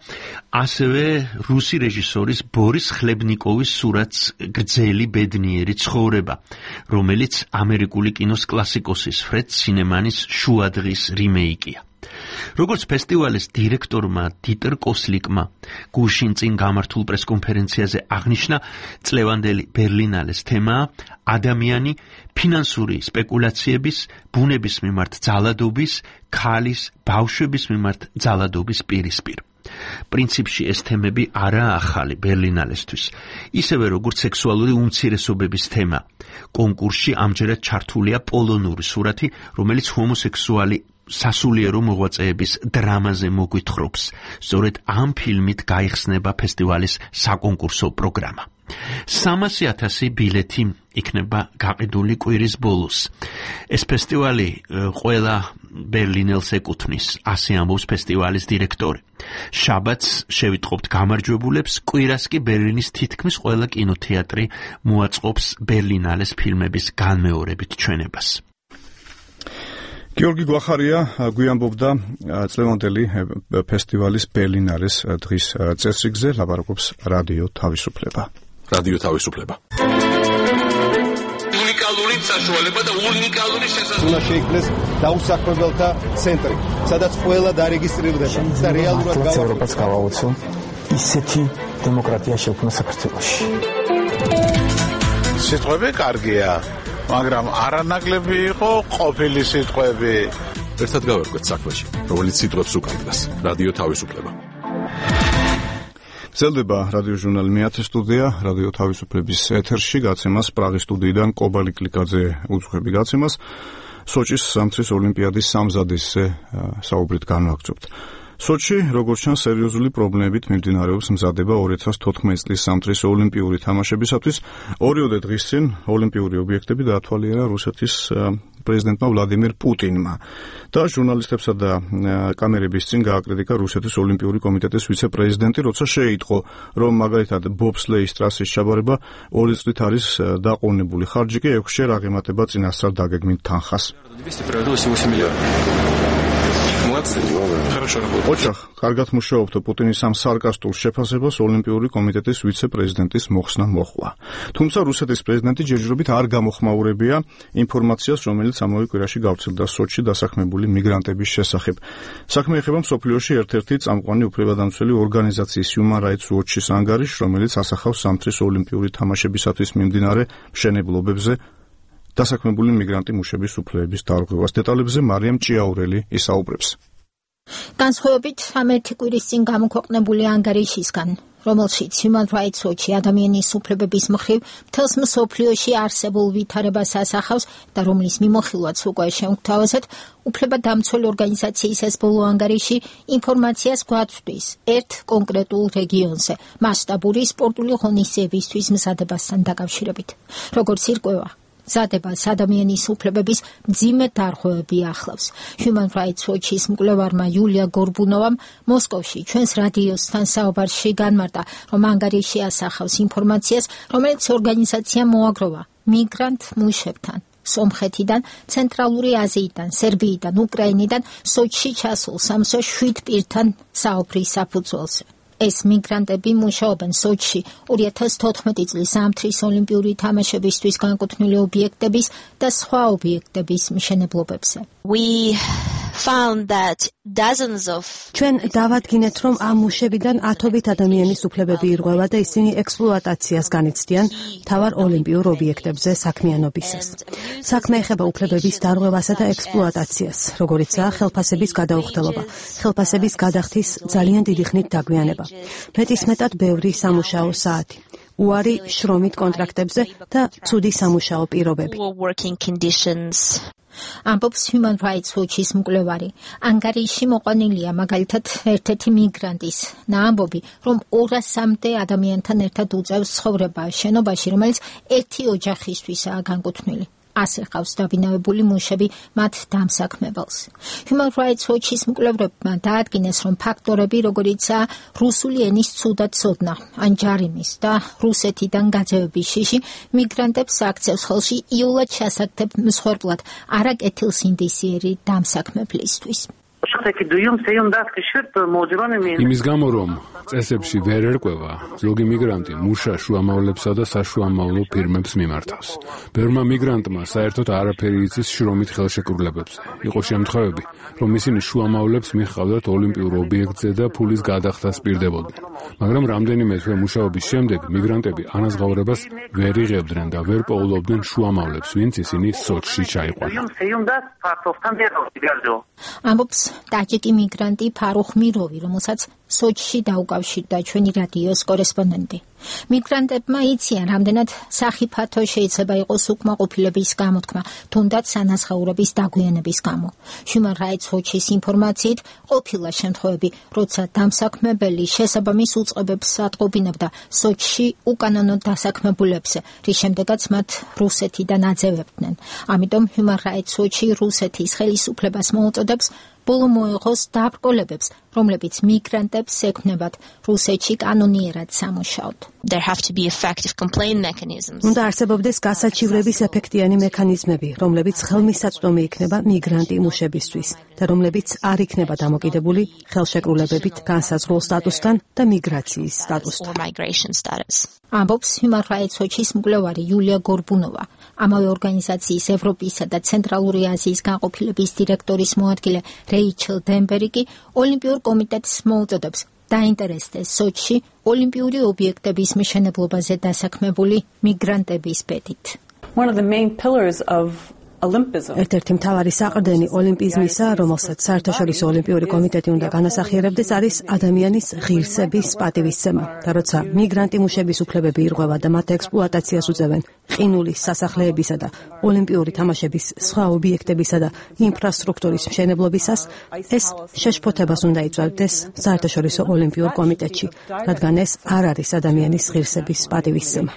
ასევე რუსი რეჟისორის ბორის ხლებნიკოვის სურათს გრძელი ბედნიერი ცხოვრება, რომელიც ამერიკული კინოს კლასიკოსის ფრედ სინემანის შუადღის რიმეიკია. როგორც ფესტივალის დირექტორმა დიტერ კოსლიკმა გუშინ წინ გამართულ პრესკონფერენციაზე აღნიშნა, წლევანდელი ბერლინალეს თემაა ადამიანი ფინანსური სპეკულაციების, ბუნების მიმართ ძალადობის, ქალის, ბავშვების მიმართ ძალადობის პირისპირ. პრინციპში ეს თემები არაა ახალი ბერლინალესთვის, ისევე როგორც სექსუალური უმცირესობების თემა. კონკურსში ამჯერად ჩართულია პოლონური სურათი, რომელიც ჰომოსექსუალი სასულიერო მოღვაწეების დრამაზე მოგვითხრობს. სწორედ ამ ფილმით გაიხსნება ფესტივალის საკონკურსო პროგრამა. 300,000 ბილეთი იქნება გაყიდული კვირის ბოლოს. ეს ფესტივალი ყველა ბერლინელს ეკუთვნის, ასე ამბობს ფესტივალის დირექტორი. შაბათს შევიტყობთ გამარჯვებულებს, კვირას კი ბერლინის თითქმის ყველა კინოთეატრი მოაწყობს ბერლინალეს ფილმების განმეორებით ჩვენებას. გიორგი გვახარია გვიამბობდა წლევანდელი ფესტივალის ბერლინალეს დღის წესრიგზე, ლაპარაკობს რადიო თავისუფლება. რადიო თავისუფლება. უნიკალური საშუალება და უნიკალური შესაძლებლობა. უნდა შეიქმნეს დაუსაქმებელთა ცენტრი, სადაც ყველა დარეგისტრირდება და რეალურად ევროპას გავაუწო ისეთი დემოკრატია შექმნა საქართველოში. სიტყვები კარგია, მაგრამ არანაკლები იყო ყოფილი სიტყვები. ერთად გავერკვეთ საქმეში, რომელიც სიტყვებს უკავშირდება. რადიო თავისუფლება. გრძელდება რადიო ჟურნალი მეათე სტუდია, რადიო თავისუფლების ეთერში გაცემას პრაღის სტუდიიდან კობალი კლიკაძე უძღვები გაცემას. სოჭის სამთრის ოლიმპიადის სამზადისზე საუბრით განვაგრძობთ. სოჩი, როგორც ჩანს, სერიოზული პრობლემებით მიმდინარეობს მზადება 2014 წლის სამთრის ოლიმპიური თამაშებისათვის. ორიოდე დღის წინ ოლიმპიური ობიექტები დაათვალიერა რუსეთის პრეზიდენტმა ვლადიმირ პუტინმა და ჟურნალისტებსა და კამერების წინ გააკრიტიკა რუსეთის ოლიმპიური კომიტეტის ვიცე-პრეზიდენტი, როცა შეიტყო, რომ მაგალითად ბობსლეის ტრასის ჩაბარება 2 წლით არის დაყოვნებული, ხარჯი კი 6-ჯერ აღემატება წინასწარ დაგეგმილ თანხას. ოჩახ, კარგად მუშაობთ პუტინის ამ სარკასტულ შეფასებას ოლიმპიური კომიტეტის ვიცე-პრეზიდენტის მოხსნა მოჰყვა. თუმცა რუსეთის პრეზიდენტი ჯერჯერობით არ გამოხმაურებია ინფორმაციას, რომელიც ამავე კვირაში გავრცელდა სოჩში დასაქმებული მიგრანტების შესახებ. საქმე ეხება მსოფლიოში ერთ-ერთი წამყვანი უფლებადამცველი ორგანიზაციის Human Rights Watch-ის ანგარიშს, რომელიც ასახავს სამთრის ოლიმპიური თამაშებისათვის მიმდინარე მშენებლობებზე დასაქმებული მიგრანტი მუშების უფლებების დარღვევას. დეტალებზე მარიამ ჭიაურელი ისაუბრებს. განსხვავებით 13 კვირის წინ გამოქვეყნებული ანგარიშისგან, რომელშიც Human Rights Watch ადამიანის უფლებების მხრივ მთელს მსოფლიოში არსებულ ვითარებას ასახავს და რომლის მიმოხილვაც უკვე შევგვთავაზეთ, უფლებადამცველი ორგანიზაციის ეს ბოლო ანგარიში ინფორმაციას გვაწვდის ერთ კონკრეტულ რეგიონზე მასშტაბური სპორტული ღონისძიებისთვის მზადებასთან დაკავშირებით. როგორც ირკვევა, ზადებას ადამიანის უფლებების მძიმე დარღვევები ახლავს. Human Rights Watch-ის მკვლევარმა იულია გორბუნოვამ მოსკოვში ჩვენს რადიოსთან საუბარში განმარტა, რომ ანგარიში ასახავს ინფორმაციას, რომელიც ორგანიზაცია მოაგროვა მიგრანტ მუშებთან. სომხეთიდან, ცენტრალური აზიიდან, სერბიიდან, უკრაინიდან სოჩში ჩასულ 67 პირთან საუბრის საფუძველზე. ეს მიგრანტები მუშაობენ სოჩში 2014 წლის ზამთრის ოლიმპიური თამაშებისთვის განკუთვნილი ობიექტების და სხვა ობიექტების მშენებლობებზე. ჩვენ დავადგინეთ, რომ ამ მუშებიდან ათობით ადამიანის უფლებები ირღვევა და ისინი ექსპლუატაციას განიცდიან მთავარ ოლიმპიურ ობიექტებზე საქმიანობისას. საქმე ეხება უფლებების დარღვევასა და ექსპლუატაციას, როგორიცაა ხელფასების გადაუხდელობა, ხელფასების გადახდის ძალიან დიდი ხნით დაგვიანება, მეტისმეტად ბევრი სამუშაო საათი, უარი შრომით კონტრაქტებზე და ცუდი სამუშაო პირობები. ამბობს Human Rights Watch-ის მკვლევარი. ანგარიში მოყვანილია მაგალითად ერთ-ერთი მიგრანტის ამბობი, რომ 200-მდე ადამიანთან ერთად უწევს ცხოვრება შენობაში, რომელიც ერთი ოჯახისთვისაა განკუთვნილი. ასე ყავს დაბინავებული მუშები მათ დამსაქმებელს. Human Rights Watch-ის მკვლევრებმა დაადგინეს, რომ ფაქტორები, როგორიცაა რუსული ენის ცუდად ცოდნა, ან ჯარიმის და რუსეთიდან გაძევების შიში, მიგრანტებს აქცევს ხელში იოლად ჩასაგდებ მსხვერპლად არაკეთილსინდისიერი დამსაქმებლისთვის. იმის გამო, რომ წესებში ვერ ერკვევა, ზოგი მიგრანტი მუშა შუამავლებსა და საშუამავლო ფირმებს მიმართავს. ბევრმა მიგრანტმა საერთოდ არაფერი იცის შრომით ხელშეკრულებებზე. იყო შემთხვევები, რომ ისინი შუამავლებს მიჰყავდათ ოლიმპიურ ობიექტზე და ფულის გადახდას პირდებოდნენ. მაგრამ რამდენიმე თვე მუშაობის შემდეგ მიგრანტები ანაზღაურებას ვერ იღებდნენ და ვერ პოულობდნენ შუამავლებს, ვინც ისინი სოჩში ჩაიყვანა. ამბობს ტაჯიკი მიგრანტი ფარუხ მიროვი, რომელსაც სოჩში დაუკავშირდა ჩვენი რადიოს კორესპონდენტი. მიგრანტებმა იციან, რამდენად სახიფათო შეიძლება იყოს უკმაყოფილების გამოთქმა, თუნდაც ანაზღაურების დაგვიანების გამო. Human Rights Watch-ის ინფორმაციით ყოფილა შემთხვევები, როცა დამსაქმებელი შესაბამის უწყებებს ატყობინებდა სოჩში უკანონო დასაქმებულებზე, რის შემდეგაც მათ რუსეთიდან აძევებდნენ. ამიტომ Human Rights Watch-ი რუსეთის ხელისუფლებას მოუწოდებს ბოლო მოეღოს დაბრკოლებებს, რომლებიც მიგრანტებს ექმნებათ რუსეთში კანონიერად სამუშაოდ. უნდა არსებობდეს გასაჩივრების ეფექტიანი მექანიზმები, რომლებიც ხელმისაწვდომი იქნება მიგრანტი მუშებისთვის და რომლებიც არ იქნება დამოკიდებული ხელშეკრულებებით განსაზღვრულ სტატუსთან და მიგრაციის სტატუსთან. ამბობს Human Rights Watch-ის მკვლევარი იულია გორბუნოვა. ამავე ორგანიზაციის ევროპისა და ცენტრალური აზიის განყოფილების დირექტორის მოადგილე რეიჩელ დენბერგი ოლიმპიურ კომიტეტს მოუწოდებს დაინტერესდეს სოჩში ოლიმპიური ობიექტების მშენებლობაზე დასაქმებული მიგრანტების ბედით. ერთ-ერთი მთავარი საყრდენი ოლიმპიზმისა, რომელსაც საერთაშორისო ოლიმპიური კომიტეტი უნდა განასახიერებდეს, არის ადამიანის ღირსების პატივისცემა. და როცა მიგრანტი მუშების უფლებები ირღვევა და მათ ექსპლუატაციას უწევენ ყინულის სასახლეებისა და ოლიმპიური თამაშების სხვა ობიექტებისა და ინფრასტრუქტურის მშენებლობისას, ეს შეშფოთებას უნდა იწვევდეს საერთაშორისო ოლიმპიურ კომიტეტში, რადგან ეს არ არის ადამიანის ღირსების პატივისცემა.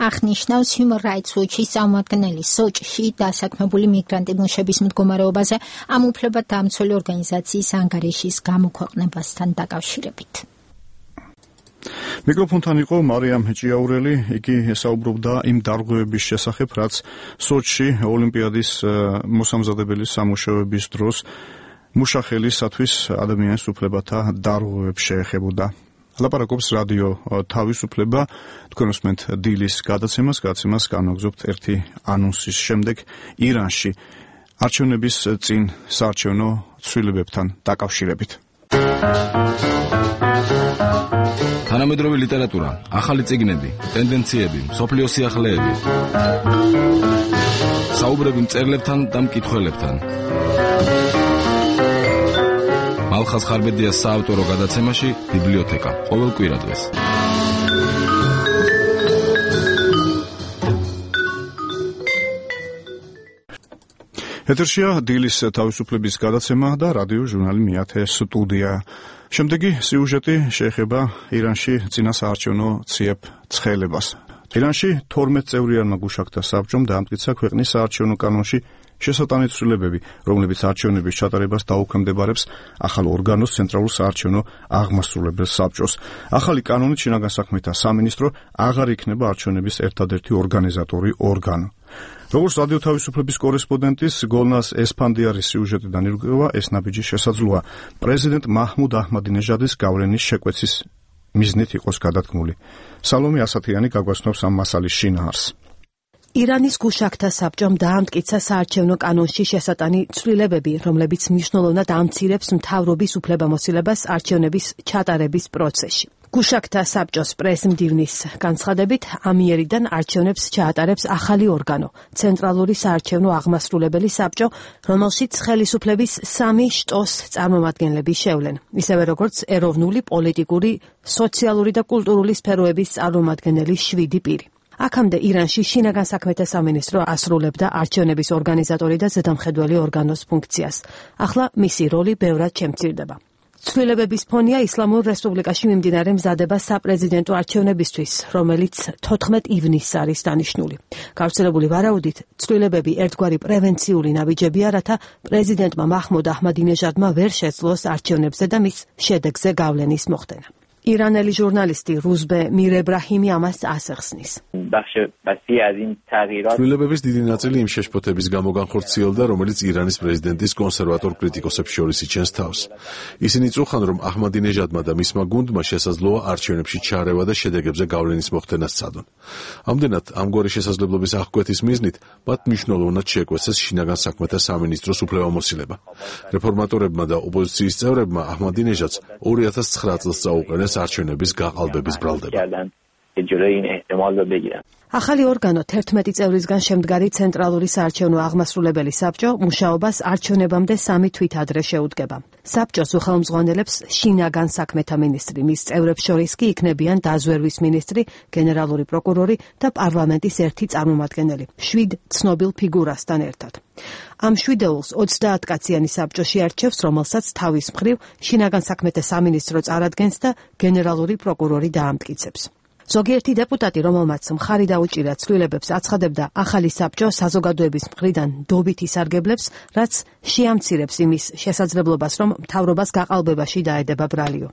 აღნიშნავს Human Rights Watch-ის წარმომადგენელი სოჩში დასაქმებული მიგრანტი მუშების მდგომარეობაზე ამ უფლებადამცველი ორგანიზაციის ანგარიშის გამოქვეყნებასთან დაკავშირებით. მიკროფონთან იყო მარიამ ჭიაურელი, იგი საუბრობდა იმ დარღვევების შესახებ, რაც სოჩში ოლიმპიადის მოსამზადებელი სამუშაოების დროს მუშახელისათვის ადამიანის უფლებათა დარღვევებს შეეხებოდა. ლაპარაკობს რადიო თავისუფლება, თქვენ უსმენთ დილის გადაცემას განვაგზავნებთ ერთი ანონსის შემდეგ ირანში არჩევნების წინ საარჩევნო ცვლილებებთან დაკავშირებით. თანამედროვე ლიტერატურა, ახალი წიგნები, ტენდენციები, მსოფლიო სიახლეები. საუბრები მწერლებთან და მკითხველებთან. ალხას ხარბედიას საავტორო გადაცემაში ბიბლიოთეკა ყოველ კვირადღეს. ეთერშია დილის თავისუფლების გადაცემა და რადიო ჟურნალი მეათე სტუდია. შემდეგი სიუჟეტი შეეხება ირანში წინასაარჩევნო ციებ ცხელებას. ირანში 12 წევრიანმა გუშაქთა საბჭომ დაამტკიცა ქვეყნის საარჩევნო კანონში შესატანით ცვლილებები, რომლებიც არჩევნების ჩატარებას დაუქვემდებარებს ახალ ორგანოს ცენტრალურ საარჩევნო აღმასრულებელ საბჭოს. ახალი კანონით შინაგან საქმეთა სამინისტრო აღარ იქნება არჩევნების ერთადერთი ორგანიზატორი ორგანო. როგორც რადიო თავისუფლების კორესპონდენტის გოლნას ესფანდიარის სიუჟეტიდან ირკვევა, ეს ნაბიჯი შესაძლოა პრეზიდენტ მაჰმუდ აჰმადინეჟადის გავლენის შეკვეცის მიზნით იყოს გადადგმული. სალომე ასათიანი გაგვაცნობს ამ მასალის შინაარსს. ირანის გუშაქთა საბჭომ დაამტკიცა საარჩევნო კანონში შესატანი ცვლილებები, რომლებიც მნიშვნელოვნად ამცირებს მთავრობის უფლებამოსილებას არჩევნების ჩატარების პროცესში. გუშაქთა საბჭოს პრესმდივნის განცხადებით, ამიერიდან არჩევნებს ჩაატარებს ახალი ორგანო, ცენტრალური საარჩევნო აღმასრულებელი საბჭო, რომელშიც ხელისუფლების 3 შტოს წარმომადგენლები შევლენ, ისევე როგორც ეროვნული, პოლიტიკური, სოციალური და კულტურული სფეროების წარმომადგენელი 7 პირი. აქამდე ირანში შინაგან საქმეთა სამინისტრო ასრულებდა არჩევნების ორგანიზატორი და ზედამხედველი ორგანოს ფუნქციას. ახლა მისი როლი ბევრად შემცირდება. ცვლილებების ფონია ისლამურ რესპუბლიკაში მიმდინარე მზადება საპრეზიდენტო არჩევნებისთვის, რომელიც 14 ივნისს არის დანიშნული. გავრცელებული ვარაუდით, ცვლილებები ერთგვარი პრევენციული ნაბიჯებია, რათა პრეზიდენტმა მაჰმუდ აჰმადინეჟადმა ვერ შეძლოს არჩევნებზე და მის შედეგზე გავლენის მოხდენა. ირანელი ჟურნალისტი რუზბე მირ ებრაჰიმი ამას ასახსნის. ცვლილებების დიდი ნაწილი იმ შეშფოთების გამო განხორციელდა, რომელიც ირანის პრეზიდენტის კონსერვატორ კრიტიკოსებს შორის იჩენს თავს. ისინი წუხან, რომ აჰმადინეჟადმა და მისმა გუნდმა შესაძლოა არჩევნებში ჩარევა და შედეგებზე გავლენის მოხდენა სცადონ. ამდენად, ამგვარი შესაძლებლობის აღკვეთის მიზნით, მათ მნიშვნელოვნად შეეკვეცეს შინაგან საქმეთა სამინისტროს უფლებამოსილება. რეფორმატორებმა და ოპოზიციის წევრებმა აჰმადინეჟადს 2009 წელს წაუყენეს არჩევნების გაყალბების ბრალდება. ახალი ორგანო 11 წევრისგან შემდგარი ცენტრალური საარჩევნო აღმასრულებელი საბჭო მუშაობას არჩევნებამდე 3 თვით ადრე შეუდგება. საბჭოს უხელმძღვანელებს შინაგან საქმეთა მინისტრი, მის წევრებს შორის კი იქნებიან დაზვერვის მინისტრი, გენერალური პროკურორი და პარლამენტის ერთი წარმომადგენელი, 7 ცნობილ ფიგურასთან ერთად. ამ 7-ს 30 კაციანი საბჭოში არჩევს, რომელსაც თავის მხრივ შინაგან საქმეთა სამინისტრო წარადგენს და გენერალური პროკურორი დაამტკიცებს. ზოგიერთი დეპუტატი, რომელმაც მხარი დაუჭირა ცვლილებებს, აცხადებდა, ახალი საბჭო საზოგადოების მხრიდან დობით ისარგებლებს, რაც შეამცირებს იმის შესაძლებლობას, რომ მთავრობას გაყალბებაში დაედება ბრალიო.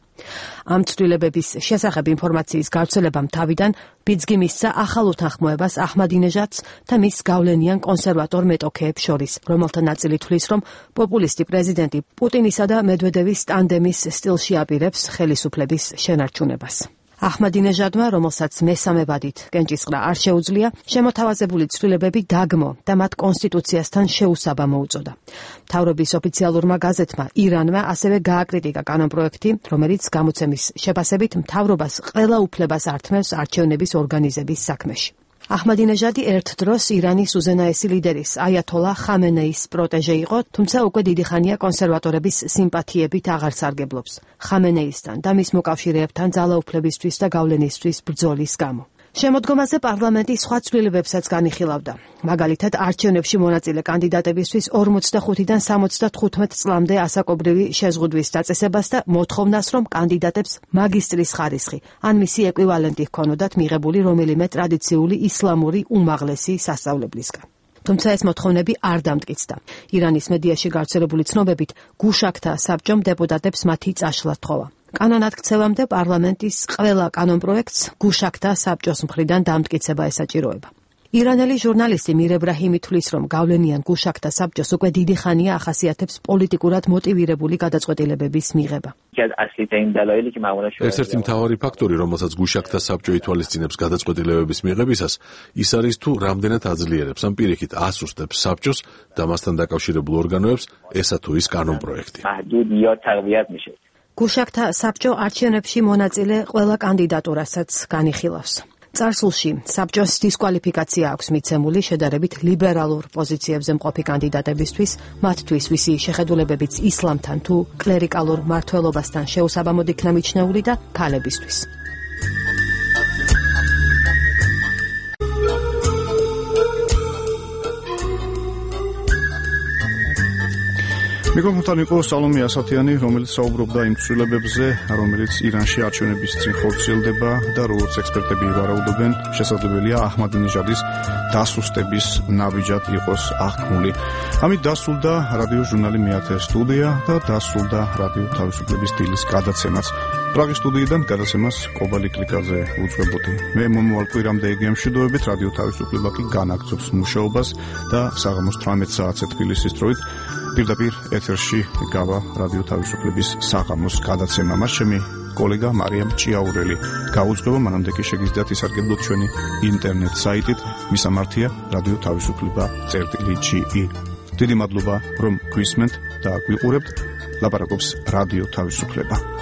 ამ ცვლილებების შესახებ ინფორმაციის გავრცელებამ თავიდან ბიძგი მისცა ახალ უთანხმოებას აჰმადინეჟადს და მის გავლენიან კონსერვატორ მეტოქეებს შორის, რომელთა ნაწილი თვლის, რომ პოპულისტი პრეზიდენტი პუტინისა და მედვედევის ტანდემის სტილში აპირებს ხელისუფლების შენარჩუნებას. აჰმადინეჟადმა, რომელსაც მესამე ვადით კენჭისყრა არ შეუძლია, შემოთავაზებული ცვლილებები დაგმო და მათ კონსტიტუციასთან შეუსაბამო უწოდა. მთავრობის ოფიციალურმა გაზეთმა ირანმა ასევე გააკრიტიკა კანონპროექტი, რომელიც გამოცემის შეფასებით მთავრობას ყველა უფლებას ართმევს არჩევნების ორგანიზების საქმეში. აჰმადინეჟადი ერთ დროს ირანის უზენაესი ლიდერის აიათოლა ხამენეის პროტეჟე იყო, თუმცა უკვე დიდი ხანია კონსერვატორების სიმპათიებით აღარ სარგებლობს ხამენეისთან და მის მოკავშირეებთან ძალაუფლებისთვის და გავლენისთვის ბრძოლის გამო. შემოდგომაზე პარლამენტი სხვა ცვლილებებსაც განიხილავდა. მაგალითად, არჩევნებში მონაწილე კანდიდატებისთვის 45-დან 75 წლამდე ასაკობრივი შეზღუდვის დაწესებას და მოთხოვნას, რომ კანდიდატებს მაგისტრის ხარისხი ან მისი ეკვივალენტი ჰქონოდათ მიღებული რომელიმე ტრადიციული ისლამური უმაღლესი სასწავლებლისგან. თუმცა ეს მოთხოვნები არ დამტკიცდა. ირანის მედიაში გავრცელებული ცნობებით, გუშაქთა საბჭომ დეპუტატებს მათი წაშლა თხოვა. კანონათქცევამდე პარლამენტის ყველა კანონპროექტს გუშაქთა საბჭოს მხრიდან დამტკიცება ესაჭიროება. ირანელი ჟურნალისტი მირ ებრაჰიმი თვლის, რომ გავლენიან გუშაქთა საბჭოს უკვე დიდი ხანია ახასიათებს პოლიტიკურად მოტივირებული გადაწყვეტილებების მიღება. ერთ-ერთი მთავარი ფაქტორი, რომელსაც გუშაქთა საბჭო ითვალისწინებს გადაწყვეტილებების მიღებისას, ის არის თუ რამდენად აძლიერებს ან პირიქით ასუსტებს საბჭოს და მასთან დაკავშირებულ ორგანოებს ესა თუ ის კანონპროექტი. გუშაქთა საბჭო არჩევნებში მონაწილე ყველა კანდიდატურასაც განიხილავს. წარსულში საბჭოს დისკვალიფიკაცია აქვს მიცემული შედარებით ლიბერალურ პოზიციებზე მყოფი კანდიდატებისთვის, მათთვის ვისი შეხედულებებიც ისლამთან თუ კლერიკალურ მმართველობასთან შეუსაბამოდ იქნა მიჩნეული და ქალებისთვის. მიკროფონთან იყო სალომე ასათიანი, რომელიც საუბრობდა იმ ცვლილებებზე, რომელიც ირანში არჩევნების წინ ხორციელდება და როგორც ექსპერტები ვარაუდობენ, შესაძლებელია აჰმადინეჟადის დასუსტების ნაბიჯად იყოს აღქმული. ამით დასრულდა რადიო ჟურნალი მეათე სტუდია და დასრულდა რადიო თავისუფლების დილის გადაცემაც. პრაღის სტუდიიდან გადაცემას კობალი კლიკაზე უძღვებოდი. მე მომავალ კვირამდე იგი ამშვიდობებით, რადიო თავისუფლება კი განაგრძობს მუშაობას და საღამოს 18 საათზე თბილისის დროით პირდაპირ ეთერში გავა რადიო თავისუფლების საღამოს გადაცემა. მას ჩემი კოლეგა მარიამ ჭიაურელი გაუძღვება, მანამდე კი შეგიძლიათ ისარგებლოთ ჩვენი ინტერნეტ საიტით, მისამართია რადიო თავისუფლება.ge. დიდი მადლობა რომ გვისმენთ და გვიყურებთ. ლაპარაკობს რადიო თავისუფლება.